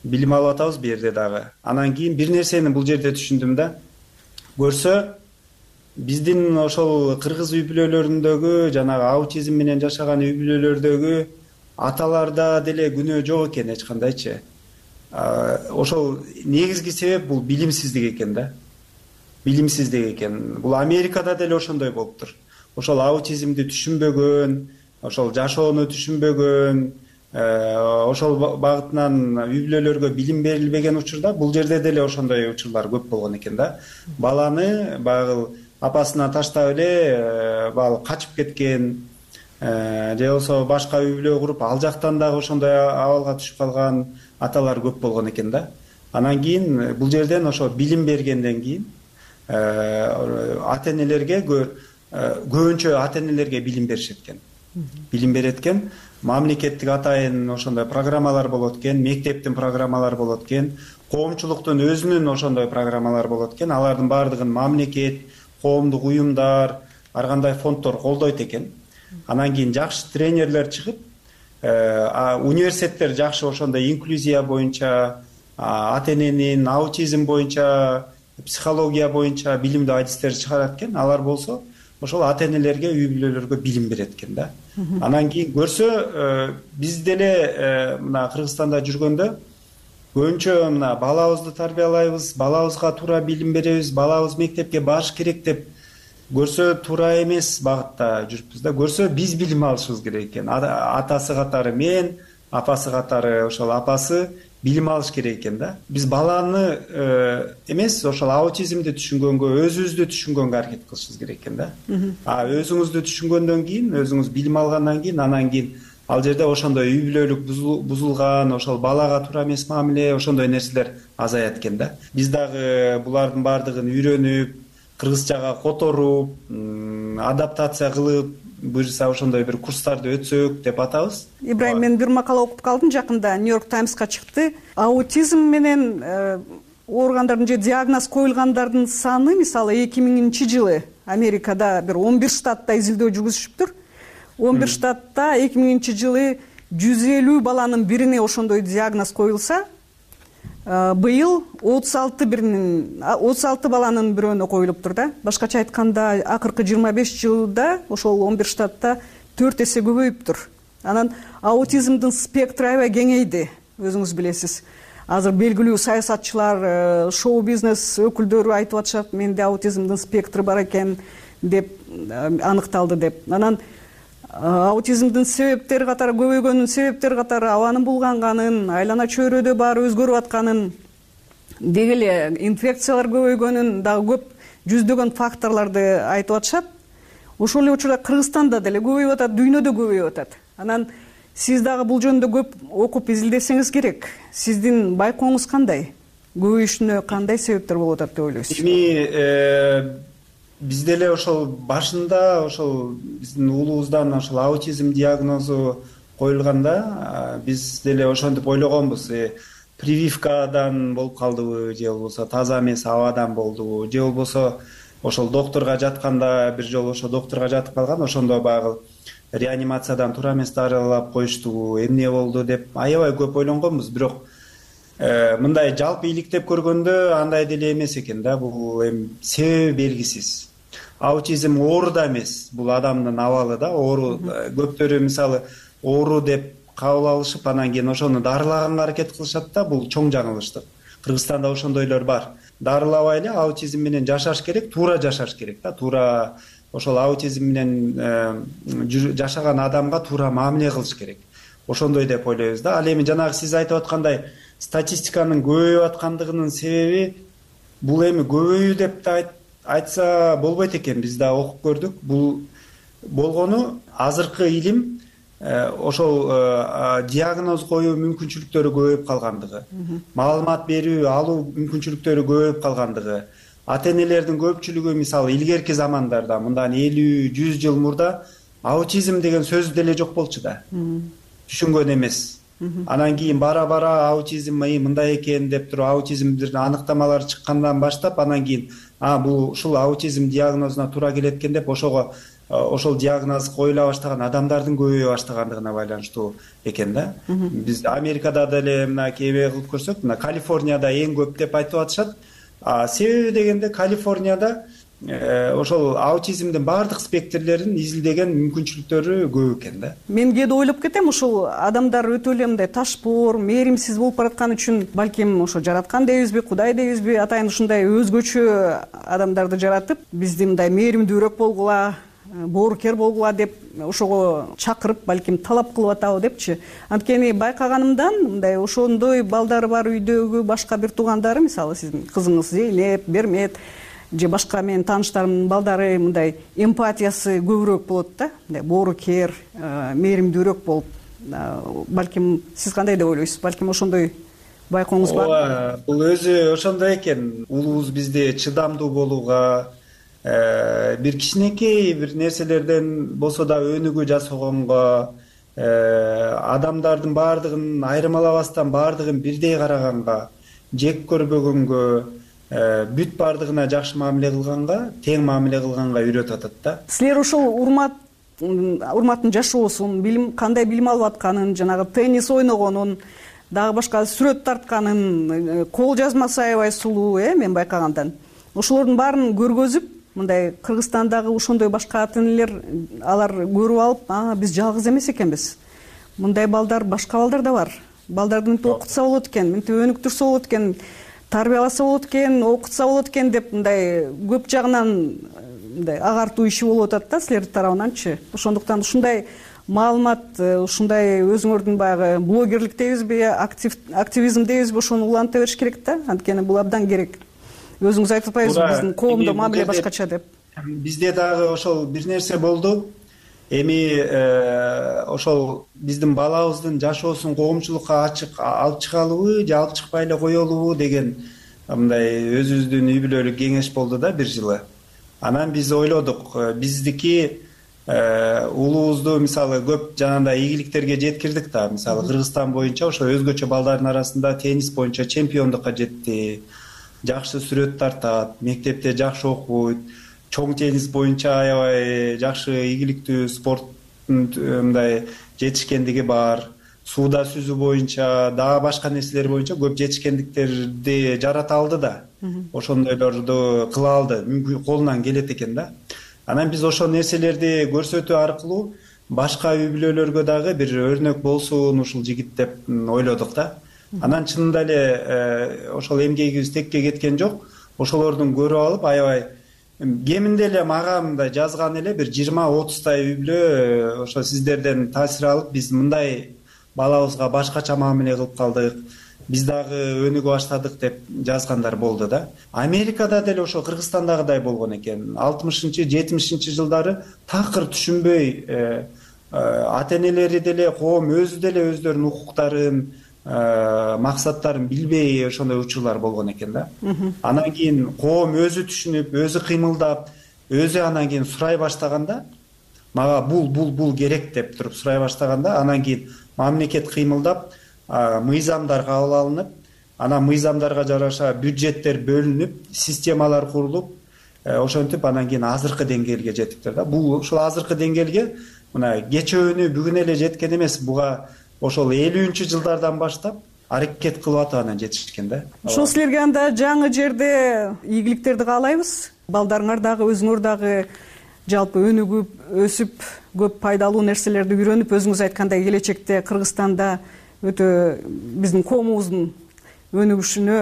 билим алып атабыз бу жерде дагы. Анан кийин бир нерсени бул жерде түшүндүм да. Көрсө биздин ошол кыргыз үй бүлөлөрүндөгү, жанагы аутизм менен жашаган үй бүлөлөрдөгү аталарда деле күнөө жок экен эч кандайчы. Ошол негизги себеп бул билимсиздик экен да. Билимсиздик экен. Бул Америкада деле ошондой болуптур. Ошол аутизмди түшүнбөгөн, ошол жашоону түшүнбөгөн, ошол багытынан үй бүлөлөргө билим берилбеген учурда бул жерде деле ошондой учурлар көп болгон экен да. Баланы баягы апасына таштап эле баягы качып кеткен, же болбосо башка үй бүлө куруп, ал жактан дагы ошондой абалга түшүп калган аталар көп болгон экен да. Анан кийин бул жерден ошо билим бергенден кийин ата-энелерге көбүнчө ата-энелерге билим беришет экен. Билим берет экен. Мамлекеттик атайын ошондой программалар болот экен, мектептин программалары болот экен, коомчулуктун өзүнүн ошондой программалары болот экен. Алардын баардыгын мамлекет, коомдук уюмдар, ар кандай фонддор колдойт экен. Анан кийин жакшы тренерлер чыгып, университеттер жакшы ошондой инклюзия боюнча, ата-эненин аутизм боюнча, психология боюнча билимдүү адистер чыгарат экен. Алар болсо ошол ата-энелерге, үй бүлөлөргө билим берет экен да. Анан кийин көрсө, биз деле мына Кыргызстанда жүргөндө көбүнчө мына балабызды тарбиялайбыз, балабызга туура билим беребиз, балабыз мектепке барыш керек деп көрсө туура эмес багытта жүрүпбүз да. Көрсө биз билим алышыбыз керек экен. Атасы катары мен, апасы катары ошол апасы билим алыш керек экен да. Биз баланы эмес, ошол аутизмди түшүнгөнгө, өзүбүздү түшүнгөнгө аракет кылышыбыз керек экен да. А өзүңүздү түшүнгөндөн кийин, өзүңүз билим алгандан кийин, анан кийин ал жерде ошондой үй бүлөлүк бузулган, ошол балага туура эмес мамиле, ошондой нерселер азаят экен да. Биз дагы булардын баардыгын үйрөнүп, кыргызчага которуп, адаптация кылып, буюрса ошондой бир курстарды өтсөк деп атабыз. Ибрайым, мен бир макала окуп калдым жакында, Нью-Йорк Таймска чыкты. Аутизм менен ооругандардын же диагноз коюлгандардын саны, мисалы эки миңинчи жылы Америкада бир он бир штатта изилдөө жүргүзүшүптүр. он бир штатта эки миңинчи жылы жүз элүү баланын бирине ошондой диагноз коюлса, быйыл отуз алты биринин отуз алты баланын бирөөнө коюлуптур да. Башкача айтканда, акыркы жыйырма беш жылда ошол он бир штатта төрт эсе көбөйүптүр. Анан аутизмдин спектры аябай кеңейди, өзүңүз билесиз. Азыр белгилүү саясатчылар, шоу-бизнес өкүлдөрү айтып атышат, менде аутизмдин спектры бар экен деп аныкталды деп. Анан аутизмдин себептери катары, көбөйгөнүн себептери катары абанын булганганын, айлана чөйрөдө баары өзгөрүп атканын, деги эле инфекциялар көбөйгөнүн, дагы көп жүздөгөн факторлорду айтып атышат. Ошол эле учурда Кыргызстанда деле көбөйүп атат, дүйнөдө көбөйүп атат. Анан сиз дагы бул жөнүндө көп окуп изилдесеңиз керек. Сиздин байкооңуз кандай? Көбөйүшүнө кандай себептер болуп атат деп ойлойсуз? Эми биз деле ошол башында ошол биздин уулубуздан ошол аутизм диагнозу коюлганда биз деле ошентип ойлогонбуз, прививкадан болуп калдыбы же болбосо таза эмес абадан болдубу же болбосо ошол доктурга жатканда бир жолу ошо доктурга жатып калган, ошондо баягы реанимациядан туура эмес дарылап коюштубу, эмне болду деп аябай көп ойлонгонбуз. Бирок мындай жалпы иликтеп көргөндө андай деле эмес экен да, бул эми себеби белгисиз. Аутизм оору да эмес, бул адамдын абалы да, оору. Көптөрү мисалы оору деп кабыл алышып анан кийин ошону дарылаганга аракет кылышат да, бул чоң жаңылыштык. Кыргызстанда ошондойлор бар. Дарылабай эле аутизм менен жашаш керек, туура жашаш керек да, туура ошол аутизм менен жашаган адамга туура мамиле кылыш керек. Ошондой деп ойлойбуз да. Ал эми жанагы сиз айтып аткандай статистиканын көбөйүп аткандыгынын себеби бул эми көбөйүү деп да айтса болбойт экен. Биз да окуп көрдүк. Бул болгону азыркы илим ошол диагноз коюу мүмкүнчүлүктөрү көбөйүп калгандыгы, маалымат берүү алуу мүмкүнчүлүктөрү көбөйүп калгандыгы. Ата-энелердин көпчүлүгү мисалы илгерки замандарда, мындан элүү жүз жыл мурда аутизм деген сөз деле жок болчу да. Түшүнгөн эмес. Анан кийин бара-бара аутизм мындай экен деп туруп аутизмдин аныктамалары чыккандан баштап анан кийин а бул ушул аутизм диагнозуна туура келет экен деп ошого ошол диагноз коюла баштаган адамдардын көбөйө баштагандыгына байланыштуу экен да. Биз Америкада деле мына кээ кылып көрсөк, мына Калифорнияда эң көп деп айтып атышат. Себеби дегенде Калифорнияда ошол аутизмдин баардык спектрлерин изилдеген мүмкүнчүлүктөрү көп экен да. Мен кээде ойлоп кетем, ушул адамдар өтө эле мындай ташпоор, мээримсиз болуп бараткан үчүн балким ошо жараткан дейбизби, Кудай дейбизби, атайын ушундай өзгөчө адамдарды жаратып, бизди мындай мээримдүүрөөк болгула, боорукер болгула деп ошого чакырып, балким талап кылып атабы депчи. Анткени байкаганымдан мындай ошондой балдары бар үйдөгү башка бир туугандары, мисалы сиздин кызыңыз Зейнеп, Бермет же башка менин тааныштарымдын балдары мындай эмпатиясы көбүрөөк болот да, мындай боорукер, мээримдүүрөөк болуп. Балким сиз кандай деп ойлойсуз? Балким ошондой байкооңуз бар? Ооба, бул өзү ошондой экен. Улуубуз бизди чыдамдуу болууга, бир кичинекей бир нерселерден болсо да өнүгүү жасагонго, адамдардын баардыгын айырмалабастан баардыгын бирдей караганга, жек көрбөгөнгө, бүт баардыгына жакшы мамиле кылганга, тең мамиле кылганга үйрөтүп атат да. Силер ушул урмат урматтын жашоосун, билим кандай билим алып атканын, жанагы теннис ойногонун, дагы башка сүрөт тартканын, кол жазмасы аябай сулуу, э, мен байкагандан. Ошолордун баарын көргөзүп, мындай Кыргызстандагы ошондой башка ата-энелер алар көрүп алып, а биз жалгыз эмес экенбиз. Мындай балдар, башка балдар да бар. Балдарды мынтип окутса болот экен, мынтип өнүктүрсө болот экен, тарбияласа болот экен, окутса болот экен деп мындай көп жагынан мындай агартуу иши болуп атат да силердин тарабынанчы. Ошондуктан ушундай маалымат, ушундай өзүңөрдүн баягы блогерлик дейбизби, активизм дейбизби, ошону уланта бериш керек да. Анткени бул абдан керек. Өзүңүз айтып атпайсызбы биздин коомдо мамиле башкача деп? Бизде дагы ошол бир нерсе болду. Эми ошол биздин балабыздын жашоосун коомчулукка ачык алып чыгалыбы же алып чыкпай эле коелубу деген мындай өзүбүздүн үй бүлөлүк кеңеш болду да бир жылы. Анан биз ойлодук, биздики улуубузду мисалы көп жанагындай ийгиликтерге жеткирдик да. Мисалы Кыргызстан боюнча ошо өзгөчө балдардын арасында теннис боюнча чемпиондукка жетти. Жакшы сүрөт тартат, мектепте жакшы окуйт, чоң теннис боюнча аябай жакшы ийгиликтүү спорт мындай жетишкендиги бар. Сууда сүзүү боюнча, дагы башка нерселер боюнча көп жетишкендиктерди жарата алды да. Ошондойлорду кыла алды, мүмкүн колунан келет экен да. Анан биз ошол нерселерди көрсөтүү аркылуу башка үй бүлөлөргө дагы бир өрнөк болсун ушул жигит деп ойлодук да. Анан чынында эле ошол эмгегибиз текке кеткен жок. Ошолордун көрүп алып аябай кеминде эле мага мындай жазган эле бир жыйырма отуздай үй бүлө ошо сиздерден таасир алып биз мындай балабызга башкача мамиле кылып калдык, биз дагы өнүгө баштадык деп жазгандар болду да. Америкада деле ошо Кыргызстандагыдай болгон экен. алтымышынчы жетимишинчи жылдары такыр түшүнбөй ата-энелери деле, коом өзү деле өздөрүнүн укуктарын, максаттарын билбей ошондой учурлар болгон экен да. Анан кийин коом өзү түшүнүп, өзү кыймылдап, өзү анан кийин сурай баштаганда, мага бул бул бул керек деп туруп сурай баштаганда, анан кийин мамлекет кыймылдап, мыйзамдар кабыл алынып, анан мыйзамдарга жараша бюджеттер бөлүнүп, системалар курулуп, ошентип анан кийин азыркы деңгээлге жетиптир да. Бул ушул азыркы деңгээлге мына кечөөнү бүгүн эле жеткен эмес, буга ошол элүүнчү жылдардан баштап аракет кылып атып анан жетишкен да. Ошол силерге анда жаңы жерде ийгиликтерди каалайбыз. Балдарыңар дагы, өзүңөр дагы жалпы өнүгүп, өсүп, көп пайдалуу нерселерди үйрөнүп, өзүңүз айткандай келечекте Кыргызстанда өтө биздин коомубуздун өнүгүшүнө,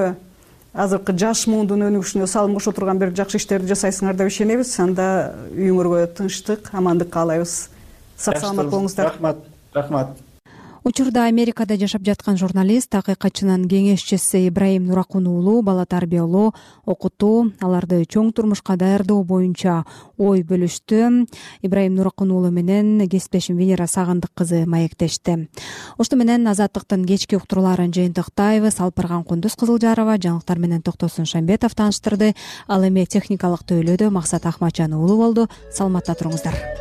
азыркы жаш муундун өнүгүшүнө салым кошо турган бир жакшы иштерди жасайсыңар деп ишенебиз. Анда үйүңөргө тынчтык, амандык каалайбыз. Сак саламат болуңуздар. Рахмат. Рахмат. Учурда Америкада жашап жаткан журналист, акыйкатчынын кеңешчиси Ибраим Нуракун уулу бала тарбиялоо, окутуу, аларды чоң турмушка даярдоо боюнча ой бөлүштү. Ибраим Нуракун уулу менен кесиптешим Венера Сагындык кызы маектешти. Ошто менен Азаттыктын кечки уктурууларын жыйынтыктайбыз. Алпарган Кундуз Кызылжарова жаңылыктар менен Токтосун Шамбетов тааныштырды. Ал эми техникалык төйлөдө Максат Ахматжан уулу болду. Саламатта туруңуздар.